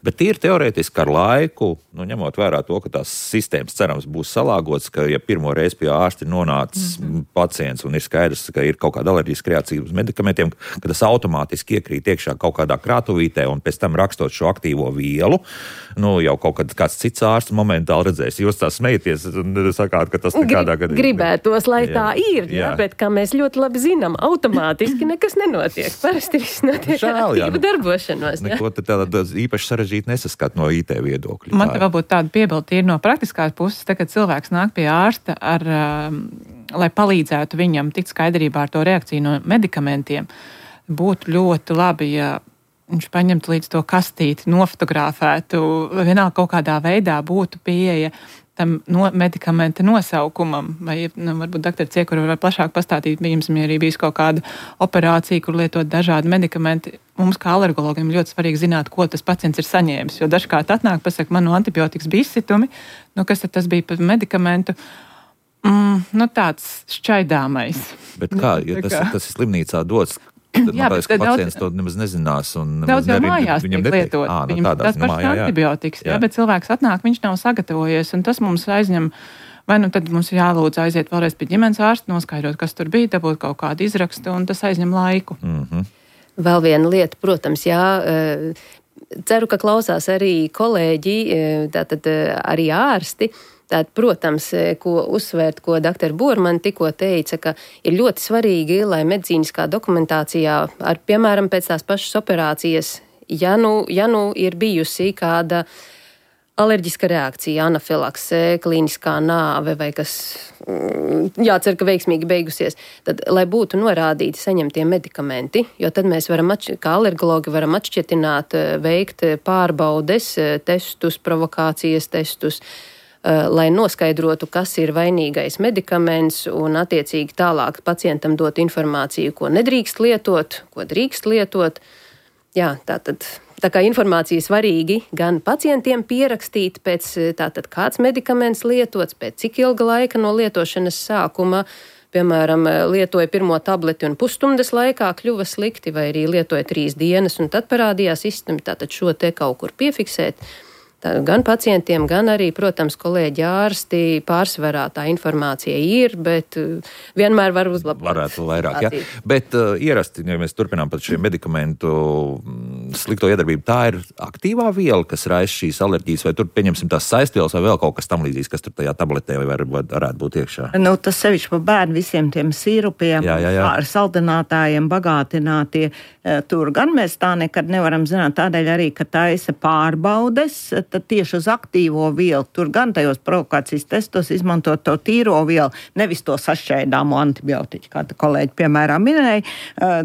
Bet ir teorētiski ar laiku, ņemot vērā to, ka tās sistēmas cerams būs salāgotas, ka ja pirmo reizi pie ārsta ir nonācis pacients un ir skaidrs, ka ir kaut kāda alerģiska reakcija uz medikamentiem, ka tas automātiski iekrīt iekšā kaut kādā krātuvītē un pēc tam rakstot šo aktīvo vielu, jau kaut kāds cits ārsts momentāli redzēs. Jūs tā smejaties un sakāt, ka tas nekādā gadījumā. Gribētos, lai tā ir, bet kā mēs ļoti labi zinām, automātiski nekas nenotiek. Parasti viss notiek ar aktīvu darbošanos. Neko tāda īpaši sarežģīta nesaskat no IT viedokļa. Man te varbūt tāda piebilde ir no praktiskās puses, kad cilvēks nāk pie ārsta, lai palīdzētu viņam tikt skaidrībā ar to reakciju no medikamentiem. Būtu ļoti labi, ja viņš paņemtu līdz to kastīti, nofotografētu, vienalga kaut kādā veidā būtu pieeja tam medikamenta nosaukumam. Vai, varbūt doktor Ciekura var plašāk pastāstīt, ja arī bijis kaut kāda operācija, kur lietot dažādi medikamenti. Mums kā alergologiem ļoti svarīgi zināt, ko tas pacients ir saņēmis, jo dažkārt atnāk, pasaka, man no antibiotikas bija izsitumi, kas tad tas bija par medikamentu? Tāds šķaidāmais. Bet kā, ja tas ir slimnīcā dots, tad tāpēc, ka pacients to nemaz nezinās un daudz jau mājās tiek lietot. Viņam tas pašs antibiotikas, bet cilvēks atnāk, viņš nav sagatavojies, un tas mums aizņem. Vai tad mums ir jālūdz aiziet vēlreiz pie ģimenes ārsta, noskaidrot, kas tur bija, dabūt kaut kādu izrakstu, un tas aizņem laiku. Vēl viena lieta, protams, ceru, ka klausās arī kolēģi, tātad arī ārsti. Tātad, protams, ko uzsvērt, ko dr. Bormana tikko teica, ka ir ļoti svarīgi, lai medicīniskā dokumentācijā, piemēram, pēc tās pašas operācijas, ja nu ir bijusi kāda alerģiska reakcija, anafilakse, klīniskā nāve vai kas jācer, ka veiksmīgi beigusies, tad, lai būtu norādīti saņemtie medikamenti, jo tad mēs varam, kā alergologi, varam atšķirtināt, veikt pārbaudes, testus, provokācijas testus, lai noskaidrotu, kas ir vainīgais medikaments un attiecīgi tālāk pacientam dot informāciju, ko nedrīkst lietot, ko drīkst lietot. Jā, tā kā informācija svarīgi gan pacientiem pierakstīt pēc tātad kāds medikaments lietots, pēc cik ilga laika no lietošanas sākuma, piemēram, lietoja pirmo tableti un pusstundas laikā kļuva slikti, vai arī lietoja 3 dienas un tad parādījās izsitumi, tātad šo te kaut kur piefiksēt. Gan pacientiem, gan arī, protams, kolēģi ārsti pārsvarā tā informācija ir, bet vienmēr var uzlabot. Varētu vairāk, jā. Bet ierasti, ja mēs turpinām pat šiem medikamentu slikto iedarbību, tā ir aktīvā viela, kas raisa šīs alerģijas, vai tur pieņemsim tās saistvielas vai vēl kaut kas tam līdzīgs, kas tur tajā tabletē varētu būt iekšā? Tas sevišķi pa bērnu visiem tiem sīrupiem, ar saldinātājiem bagātinātie. Tur gan mēs tā nekad nevaram zināt, tādēļ arī, ka taisa pārbaudes, tad tieši uz aktīvo vielu, tur gan tajos provokācijas testos izmantot to tīro vielu, nevis to sašķaidāmo antibiotiķu, kā kolēģi piemēram minēja.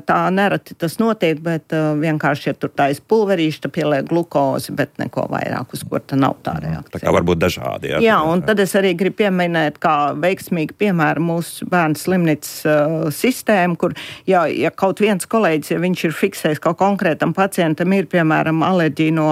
Tā nereti tas notiek, bet vienkārši, ja tur taisa pulverīši, tad pieliek glukozi, bet neko vairāk, uz kur tā nav tā reakcija. Tā kā varbūt dažādi. Jā, un tad es arī gribu pieminēt, kā veiksmīgi piemēram mūsu bērnu slimnīcas sistēmu, kur, ja kaut viens kolēģis, ja viņš ir fiksējis, ka konkrētam pacientam ir, piemēram, alerģija no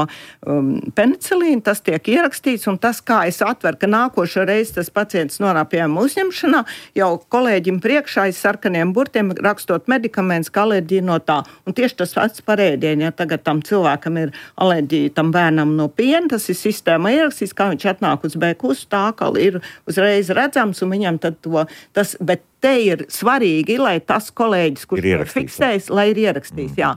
penicilīna, tas tiek ierakstīts, un tas, kā es atveru, ka nākošo reizi tas pacients nonāk pie uzņemšanā, jau kolēģim priekšā aiz sarkaniem burtiem rakstot medikaments, ka alerģija no tā. Un tieši tas pats par ēdienu, ja tagad tam cilvēkam ir alerģija tam bērnam no piena, tas ir sistēma ierakstīts, kā viņš atnāk uz B-kusu, tā kā ir uzreiz redzams, un viņam tad tas, bet te ir svarīgi, lai tas kolēģis, kurš ir fiksējis, lai ir ierakstījis. Jā,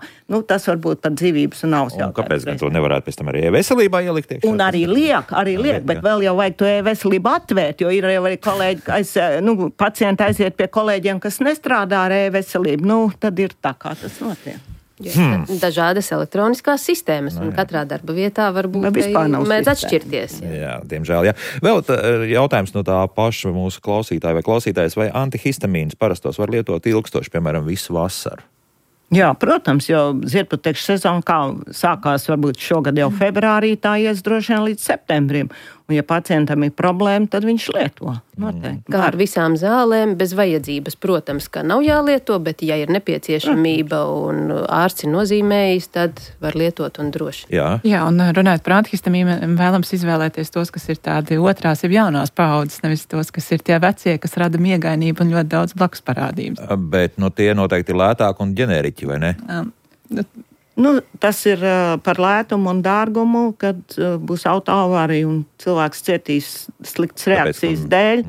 tas varbūt pat dzīvības un navas jautājums. Kāpēc gan to nevarētu pēc tam arī e-veselībā ielikt iekšā? Un arī liek, bet vēl jau vajag to e-veselību atvērt, jo ir jau arī kolēģi, pacienti aiziet pie kolēģiem, kas nestrādā ar e-veselību. Tad ir tā, kā tas notiek. Dažādas elektroniskās sistēmas, un katrā darba vietā varbūt mēdz atšķirties. Jā, diemžēl, jā. Vēl jautājums no tā paša mūsu klausītāja vai klausītājas, vai antihistamīns parastos var lietot ilgstoši, piemēram, visu vasaru? Jā, protams, jo ziedputekšu sezona, kā sākās varbūt šogad jau februārī, tā ies droši vien līdz septembrim. Un, ja pacientam ir problēma, tad viņš lieto. Noteikti. Kā ar visām zālēm, bez vajadzības, protams, ka nav jālieto, bet ja ir nepieciešamība un ārsts ir nozīmējis, tad var lietot un droši. Jā, un runājot par antihistamīnu, vēlams izvēlēties tos, kas ir tādi otrās, ir jaunās paaudzes, nevis tos, kas ir tie vecie, kas rada miegainību un ļoti daudz blakus parādības. Bet tie noteikti ir lētāki un ģeneriķi, vai ne? Tas ir par lētumu un dārgumu, kad būs autoavārija un cilvēks cietīs sliktas reakcijas dēļ,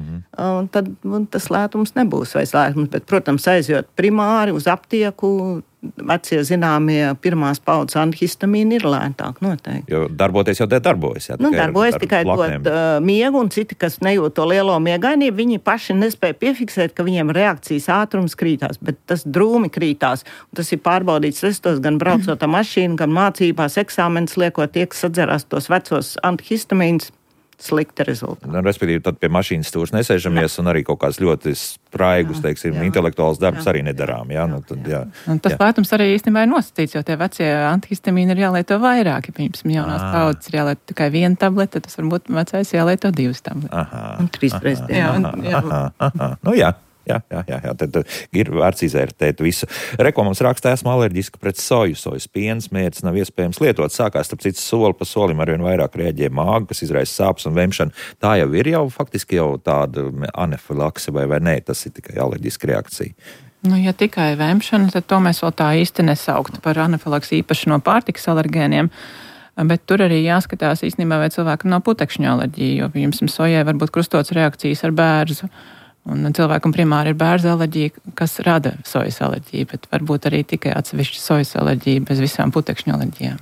tad tas lētums nebūs vairs lētums. Bet, protams, aizjot primāri uz aptieku, vecie zināmie pirmās paudzes antihistamīni ir lētāk noteikti. Jo darboties jau darbojas. Jā, darbojas tikai dot miegu, un citi, kas nejūt to lielo miegainību, viņi paši nespēja piefiksēt, ka viņiem reakcijas ātrums krītās, bet tas drūmi krītās. Un tas ir pārbaudīts testos, gan braucot ar mašīnu, gan mācībās, eksāmenes liekot, tie, kas sadzerās tos vecos antihistamīnus, slikti rezultāti. Respektīvi, tad pie mašīnas stūrs nesēžamies un arī kaut kāds ļoti spraigus, teiksim, intelektuāls darbs arī nedarām. Jā? Nu, tad, jā. Un tas lētums arī īstenībā ir nosacīts, jo tie vecie antihistamīni ir jālieto vairāk. Ja piemēram, jaunās paudzes ir jālieto tikai 1 tablete, tad tas varbūt vecais jālieto 2 tabletes. Un 3 reizes dienā. Nu jā. Jā, tad ir vērts izvērtēt visu. Mums rakstā, esmu alerģiska pret soju. Sojas piens, mērķis nav iespējams lietot. Sākās, starp citu, soli pa solim arvien vairāk rēģē māga, kas izraisa sāpes un vemšanu. Tā jau ir faktiski tāda anafilakse vai nē, tas ir tikai alerģiska reakcija. Nu, ja tikai vemšana, tad to mēs vēl tā īsti nesauktu par anafilaksi īpaši no pārtikas alergēniem. Bet tur arī jāskatās īstenībā, vai cilvēkam nav putekšņu alerģija, jo, piemēram, sojai var būt krustotas reakcijas ar bērzu. Un cilvēkam primāri ir bērza alerģija, kas rada sojas alerģiju, bet varbūt arī tikai atsevišķa sojas alerģija bez visām putekšņu alerģijām.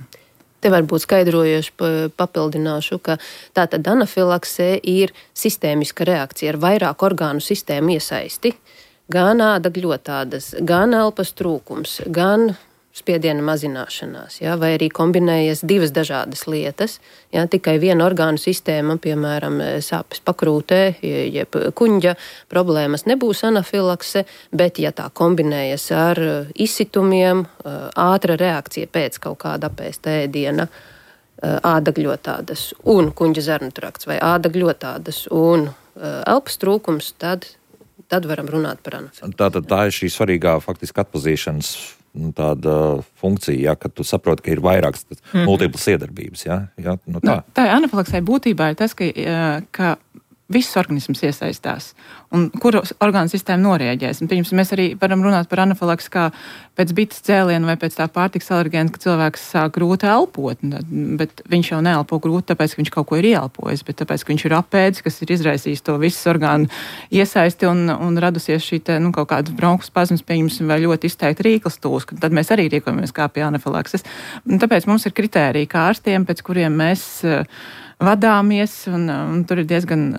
Te varbūt skaidrojoši papildināšu, ka tātad anafilakse ir sistēmiska reakcija ar vairāk orgānu sistēmu iesaisti. Gan āda gļotādas, gan elpas trūkums, gan spiediena mazināšanās, ja, vai arī kombinējas 2 dažādas lietas. Ja, tikai viena orgānu sistēma, piemēram, sāpes pakrūtē, jeb kuņģa problēmas nebūs anafilakse, bet ja tā kombinējas ar izsitumiem, ātra reakcija pēc kaut kāda apēsta ēdiena, ādagļotādas un kuņģa zarnu trakts vai ādagļotādas un elpas trūkums, tad varam runāt par anafilaksi. Tā ir šī svarīgā faktiski atpazīšanas tāda funkcija, ja, ka tu saproti, ka ir vairākas multiplas iedarbības. Ja? Ja? Nu, tā. Tā anafilaksē būtībā ir tas, ka viss organisms iesaistās un kuru orgānu sistēma norēģēs. Un, piemēram, mēs arī varam runāt par anafilaksi kā pēc bites cēliena vai pēc tā pārtikas alergēna, ka cilvēks sāk grūti elpot, bet viņš jau neelpo grūti, tāpēc, ka viņš kaut ko ir ieelpojis, bet tāpēc, ka viņš ir apēdis, kas ir izraisījis to visu orgānu iesaisti un radusies šī te, kaut kāda bronhu spazmas, pieņemsim, vai ļoti izteikti rīklas tūs, tad mēs arī rīkojamies kā pie anafilakses. Tāpēc mums ir kritēriji kā ārstiem, pēc kuriem mēs vadāmies, un tur ir diezgan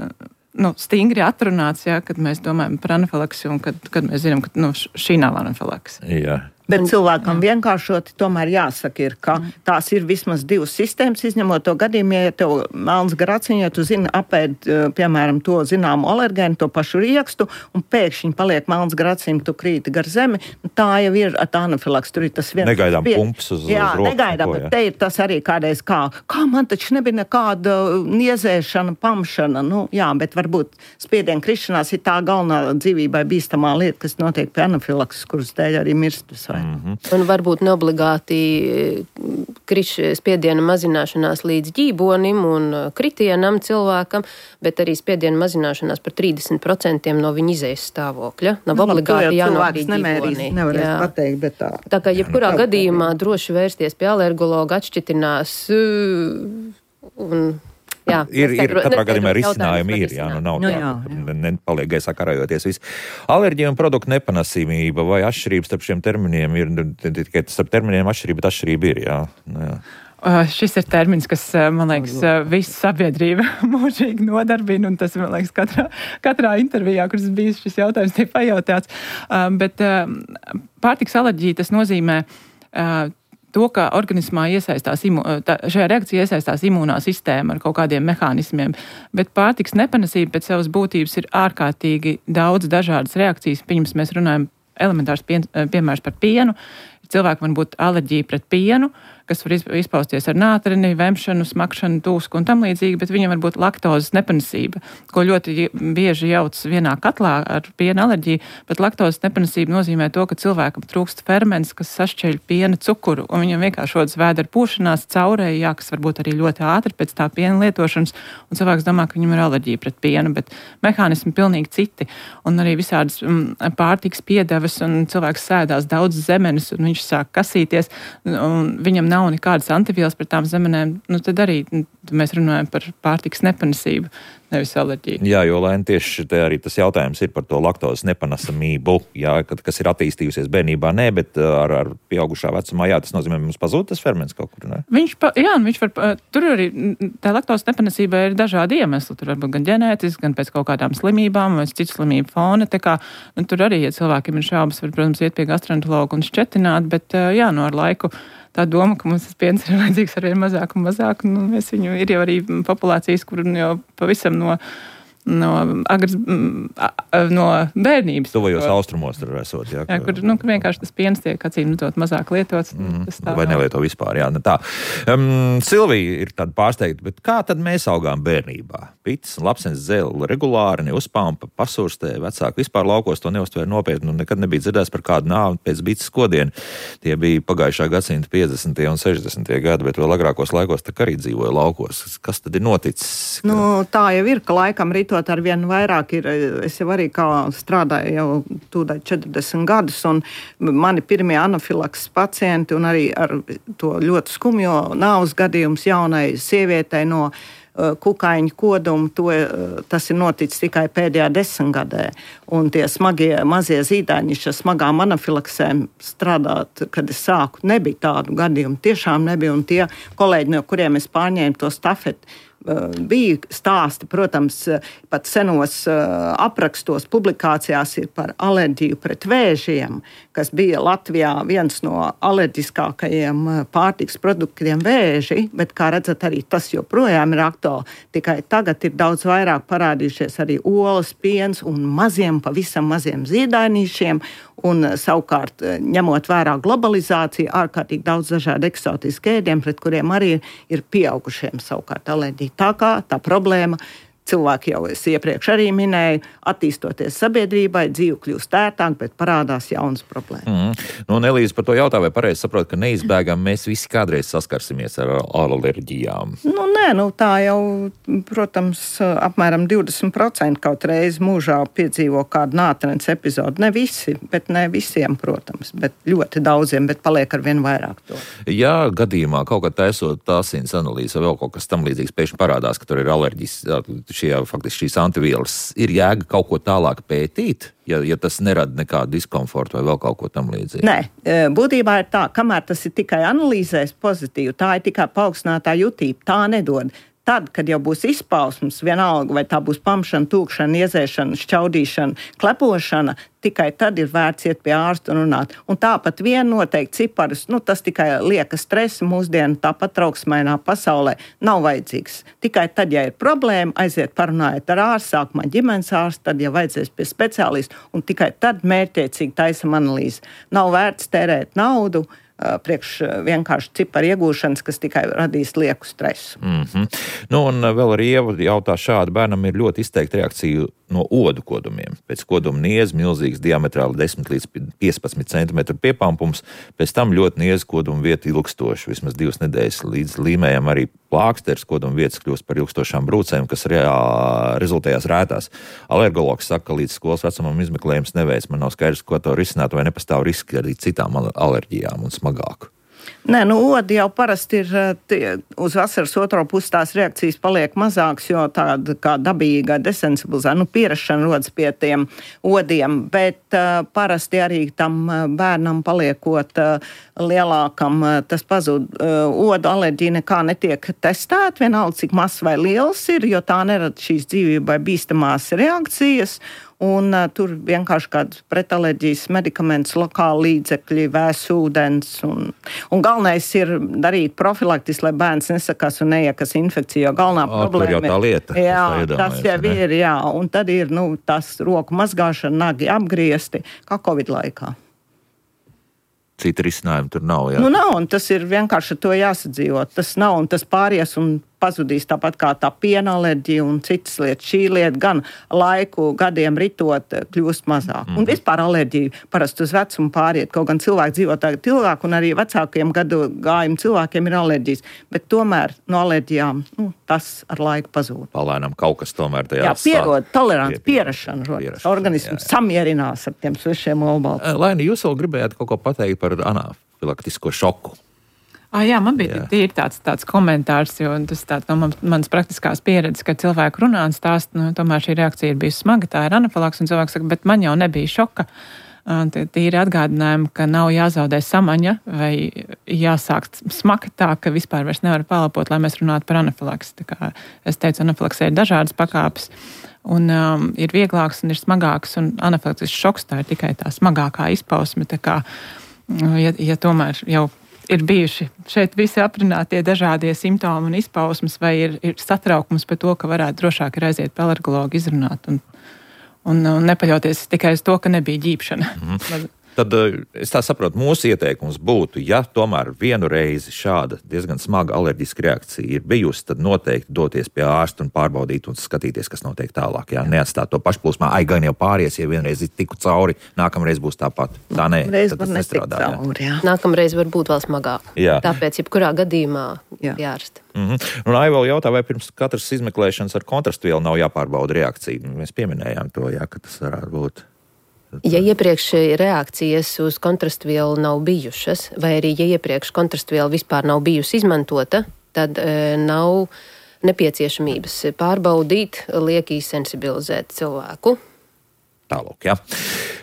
stingri atrunāts, ja, kad mēs domājam par anafilaksi un kad mēs zinām, ka šī nav anafilakse. Jā. Bet cilvēkam vienkāršoti tomēr jāsaka, ir, ka tās ir vismaz 2 sistēmas, izņemot to gadījumu, ja tev melns graciņš, ja tu zini apēd, piemēram, to zināmu alergēnu, to pašu riekstu, un pēkšņi paliek melns graciņš, tu krīti gar zemi, tā jau ir anafilakse, tur ir tas viens. Negaidām pumps uz roku. Jā, negaidām, bet te ir tas arī kādreiz kā man taču nebija nekāda niezēšana, pamšana, jā, bet varbūt spiediena krišanās ir tā galvenā dzīvībai bīstamā lieta, kas notiek pie anafilakses, kuras dēļ arī mirstas. Un varbūt neobligāti spiediena mazināšanās līdz ģībonim un kritienam cilvēkam, bet arī spiediena mazināšanās par 30% no viņa izējas stāvokļa. Nav obligāti jānokrīt ģībonī. Nevarēs pateikt, bet tā. Tā kā jebkurā gadījumā droši vērsties pie alergologa, atšķitinās un... Jā, ir katrā gadījumā risinājumi ir, nav nepaliek gaisā karājoties viss. Alerģija un produktu nepanesība vai atšķirības starp šiem terminiem ir, tikai starp terminiem atšķirība, bet atšķirība ir, jā. Šis ir termins, kas, man liekas, visu sabiedrība mūžīgi nodarbina, un tas, man liekas, katrā intervijā, kuras bijis šis jautājums, tiek pajautāts. Bet pārtikas alerģija tas nozīmē to, ka organismā šajā reakcijā iesaistās imūnā sistēma ar kaut kādiem mehānismiem, bet pārtikas nepanesība pēc savas būtības ir ārkārtīgi daudz dažādas reakcijas. Pirms mēs runājam elementārs piemērs par pienu. Cilvēkam var būt alerģija pret pienu, kas var izpausties ar nātrini, vemšanu, smakšanu, tūsku un tam līdzīgi, bet viņam var būt laktozes nepanesība, ko ļoti bieži jauc vienā katlā ar piena alerģiju, bet laktozes nepanesība nozīmē to, ka cilvēkam trūkst ferments, kas sašķeļ piena cukuru, un viņam vienkārši rodas vēdera pūšanās, caurējā, kas varbūt arī ļoti ātri pēc tā piena lietošanas, un cilvēks domā, ka viņam ir alerģija pret pienu, bet mehānismi pilnīgi citi, un arī visādas pārtikas piedevas, un cilvēks sēdās daudz zemenes, un viņš sāk kasīties, un viņam nav nekādas antivielas pret tām zemenēm, tad arī mēs runājam par pārtikas nepanesību. nevis alerģiju. Jā, jo tieši te arī tas jautājums ir par to laktozes nepanesamību, jā, kas ir attīstījusies bērnībā, nē, bet ar pieaugušā vecumā, jā, tas nozīmē, mums pazūd tas ferments kaut kur, ne? Viņš var, tur arī tā laktozes nepanesība ir dažādi iemesli, tur varbūt gan ģenētiski, gan pēc kaut kādām slimībām, vai citu slimību fona, tā kā, tur arī, ja cilvēkiem ir šaubas, var, protams, iet pie gastroenterologa un šķetināt, bet jā, ar laiku tā doma, ka mums tas piens ir vajadzīgs arvien mazāk un mazāk, mēs viņu ir jau arī populācijas, kur jau pavisam no bērnības. Tuvajos austrumos tur esot, jā. Jā, kur vienkārši tas piens tiek acīm mazāk lietots. Vai nelieto vispār, jā, tā. Silvija ir tāda pārsteigta, bet kā tad mēs augām bērnībā? Pits, lapsens dzēli regulāri, neuzpampa, pasurstē, vecāki vispār laukos to neuztvēra nopietni un nekad nebija dzirdēts par kādu nāvi pēc bites skodienu. Tie bija pagājušā gadsimta 50. un 60. gadi, bet vēl agrākos laikos tā arī dzīvoja laukos. Kas tad ir noticis? Tā jau ir, ka laikam ritot ar vien vairāk ir. Es jau arī kā strādāju jau tūdaļ 40 gadus, un mani pirmie anafilakses pacienti, un arī ar to ļoti skumjo nāves gadījums jaunai sievietei no kukaiņu kodumu, tas ir noticis tikai pēdējā 10 gadē. Un tie mazie zīdaiņi, ar smagām anafilaksēm strādāt, kad es sāku, nebija tādu gadījumu. Tiešām nebija, un tie kolēģi, no kuriem es pārņēmu to stafeti, bija stāsti, protams, pat senos aprakstos, publikācijās ir par alerģiju pret vēžiem, kas bija Latvijā viens no alerģiskākajiem pārtiks produktiem vēži, bet, kā redzat, arī tas joprojām ir aktuāli. Tikai tagad ir daudz vairāk parādījušies arī olas, piens un pavisam maziem zīdainīšiem, un savukārt, ņemot vērā globalizāciju, ārkārtīgi daudz dažādu eksotisku ēdienu, pret kuriem arī ir pieaugušiem savukārt alerģija. Tā kā tā problēma, cilvēki jau es iepriekš arī minēju, attīstoties sabiedrībai, dzīve kļūst ērtāk, bet parādās jaunas problēmas. Elīze par to jautā, vai pareizi saprot, ka neizbēgam mēs visi kādreiz saskarsimies ar alerģijām? Tā jau, protams, apmēram 20% kaut reizi mūžā piedzīvo kādu nātrens epizodu. Ne visi, bet ne visiem, protams, bet ļoti daudziem, bet paliek ar vien vairāk to. Ja gadījumā kaut kā taisot asins analīze vai vēl kaut kas tam līdzīgs, pēkšņi parādās, ka tur ir alerģijas, faktiski šīs antivielas, ir jēga kaut ko tālāk pētīt, ja tas nerada nekādu diskomfortu vai vēl kaut ko tam līdzīgu? Nē, būtībā ir tā, kamēr tas ir tikai analīzēs pozitīvi, tā ir tikai paaugstinātā jutība, tā nedod. Tad, kad jau būs izpausmes, vienalga, vai tā būs pamšana, tūkšana, iezēšana, šķaudīšana, klepošana, tikai tad ir vērts iet pie ārsta un runāt. Un tāpat vien noteikti ciparus, tas tikai lieka stresa mūsdienu, tāpat trauksmainā pasaulē nav vajadzīgs. Tikai tad, ja ir problēma, aiziet parunājot ar ārstu, sākumā ģimenes ārstu, tad, ja vajadzēs pie speciālista, un tikai tad mērķtiecīgi taisam analīzi. Nav vērts tērēt naudu priekš vienkārši ciparu iegūšanas, kas tikai radīs lieku stresu. Un vēl arī Ieva jautā šādi, bērnam ir ļoti izteikta reakcija no odu kodumiem. Pēc koduma nieza milzīgs diametrāli 10 līdz 15 cm piepampums, pēc tam ļoti nieza koduma vieta ilgstoši, vismaz 2 nedēļas līdz līmējam arī plāksters, koduma vietas kļūst par ilgstošām brūcēm, kas rezultējās rētās. Alergologs saka, ka līdz skolas vecumam izmeklējums neveic. Man nav skaidrs, ko to risināt, vai nepastāv riski arī citām alerģijām un smagāk. Nē, odi jau parasti ir uz vasaras otro pusi tās reakcijas paliek mazāks, jo tāda kā dabīga desensibilizācija, pierašana rodas pie tiem odiem, bet parasti arī tam bērnam paliekot lielākam, tas pazūd. Odu alerģija nekā netiek testēta, vienalga cik mazs vai liels ir, jo tā nerada šīs dzīvībai bīstamās reakcijas. Un tur vienkārši kāds pretalerģijas medikaments, lokāli līdzekļi, vēss ūdens. Un galvenais ir darīt profilaktiski, lai bērns nesakās un neiekas infekciju, jo galvenā problēma ir. Tur jau tā lieta. Jā, tas jau ir, jā. Un tad ir, tas roku mazgāšana, nagi apgriezti, kā Covid laikā. Cita risinājuma tur nav, jā? Nav, un tas ir vienkārši to jāsadzīvot. Tas nav, un tas pāries un pazudīs tāpat kā tā piena alerģija un citas lietas. Šī lieta gan laiku gadiem ritot kļūst mazāk. Un vispār alerģija parasti uz vecumu pāriet, kaut gan cilvēki dzīvo tagad ilgāk un arī vecākiem gadu gājumu cilvēkiem ir alerģijas. Bet tomēr no alerģijām tas ar laiku pazūd. Palēnām kaut kas tomēr tajā pierod, tolerants, pierašana rodas. Organisms samierinās ar tiem svešiem olbaltiem. Laini, jūs vēl gribējāt kaut ko pateikt par anafilaktisko šoku? Jā, man bija tīri tāds komentārs, jo tas tāds no manas praktiskās pieredzes, ka cilvēku runā un stāst, tomēr šī reakcija ir bijusi smaga, tā ir anafilakse, un cilvēks saka, bet man jau nebija šoka. Tīri atgādinājumi, ka nav jāzaudē samaņa vai jāsāk smakt tā, ka vispār vairs nevar palapot, lai mēs runātu par anafilaksi. Tā kā es teicu, anafilaksē ir dažādas pakāpes, un ir vieglāks un ir smagāks, un anafilakses šoks tā ir tikai tā smagākā izpausme. Tā kā, ja tomēr jau ir bijuši šeit visi aprunātie dažādie simptomi un izpausmes, vai ir satraukums par to, ka varētu drošāk ir aiziet pie alergologu izrunāt un nepaļauties tikai uz to, ka nebija ģībšana. Tad es tā saprotu, mūsu ieteikums būtu, ja tomēr vienu reizi šāda diezgan smaga alerģiska reakcija ir bijusi, tad noteikti doties pie ārsta un pārbaudīt un skatīties, kas notiek tālāk. Jā, neatstāt to pašplūsmā, gan jau pāries, ja vienreiz tiku cauri, nākamreiz būs tāpat. Tā nē, tad tas nestrādā. Nākamreiz var būt vēl smagāk. Jā. Tāpēc, jebkurā gadījumā jārasta. Un Aiva vēl jautā, vai pirms katras izmeklēšanas ar kontrastvielu nav jāpārbauda reakcija. Mēs pieminējām to, ka tas varētu būt. Ja iepriekš reakcijas uz kontrastvielu nav bijušas, vai arī ja iepriekš kontrastviela vispār nav bijusi izmantota, tad nav nepieciešamības pārbaudīt, lieki sensibilizēt cilvēku. Tālūk, jā.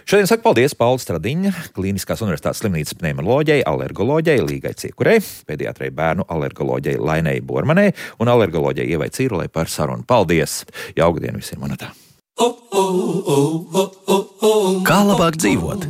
Šodien saku paldies Paula Stradiņa, Kliniskās universitātes slimnīcas pneimoloģijai, alergoloģijai Līgai Ciekurei, pediatrei bērnu alergoloģijai Lainei Bormanei un alergoloģijai Ievai Cīrulei par sarunu. Paldies! Jauka diena visiem, Monatā! Kā labāk dzīvot?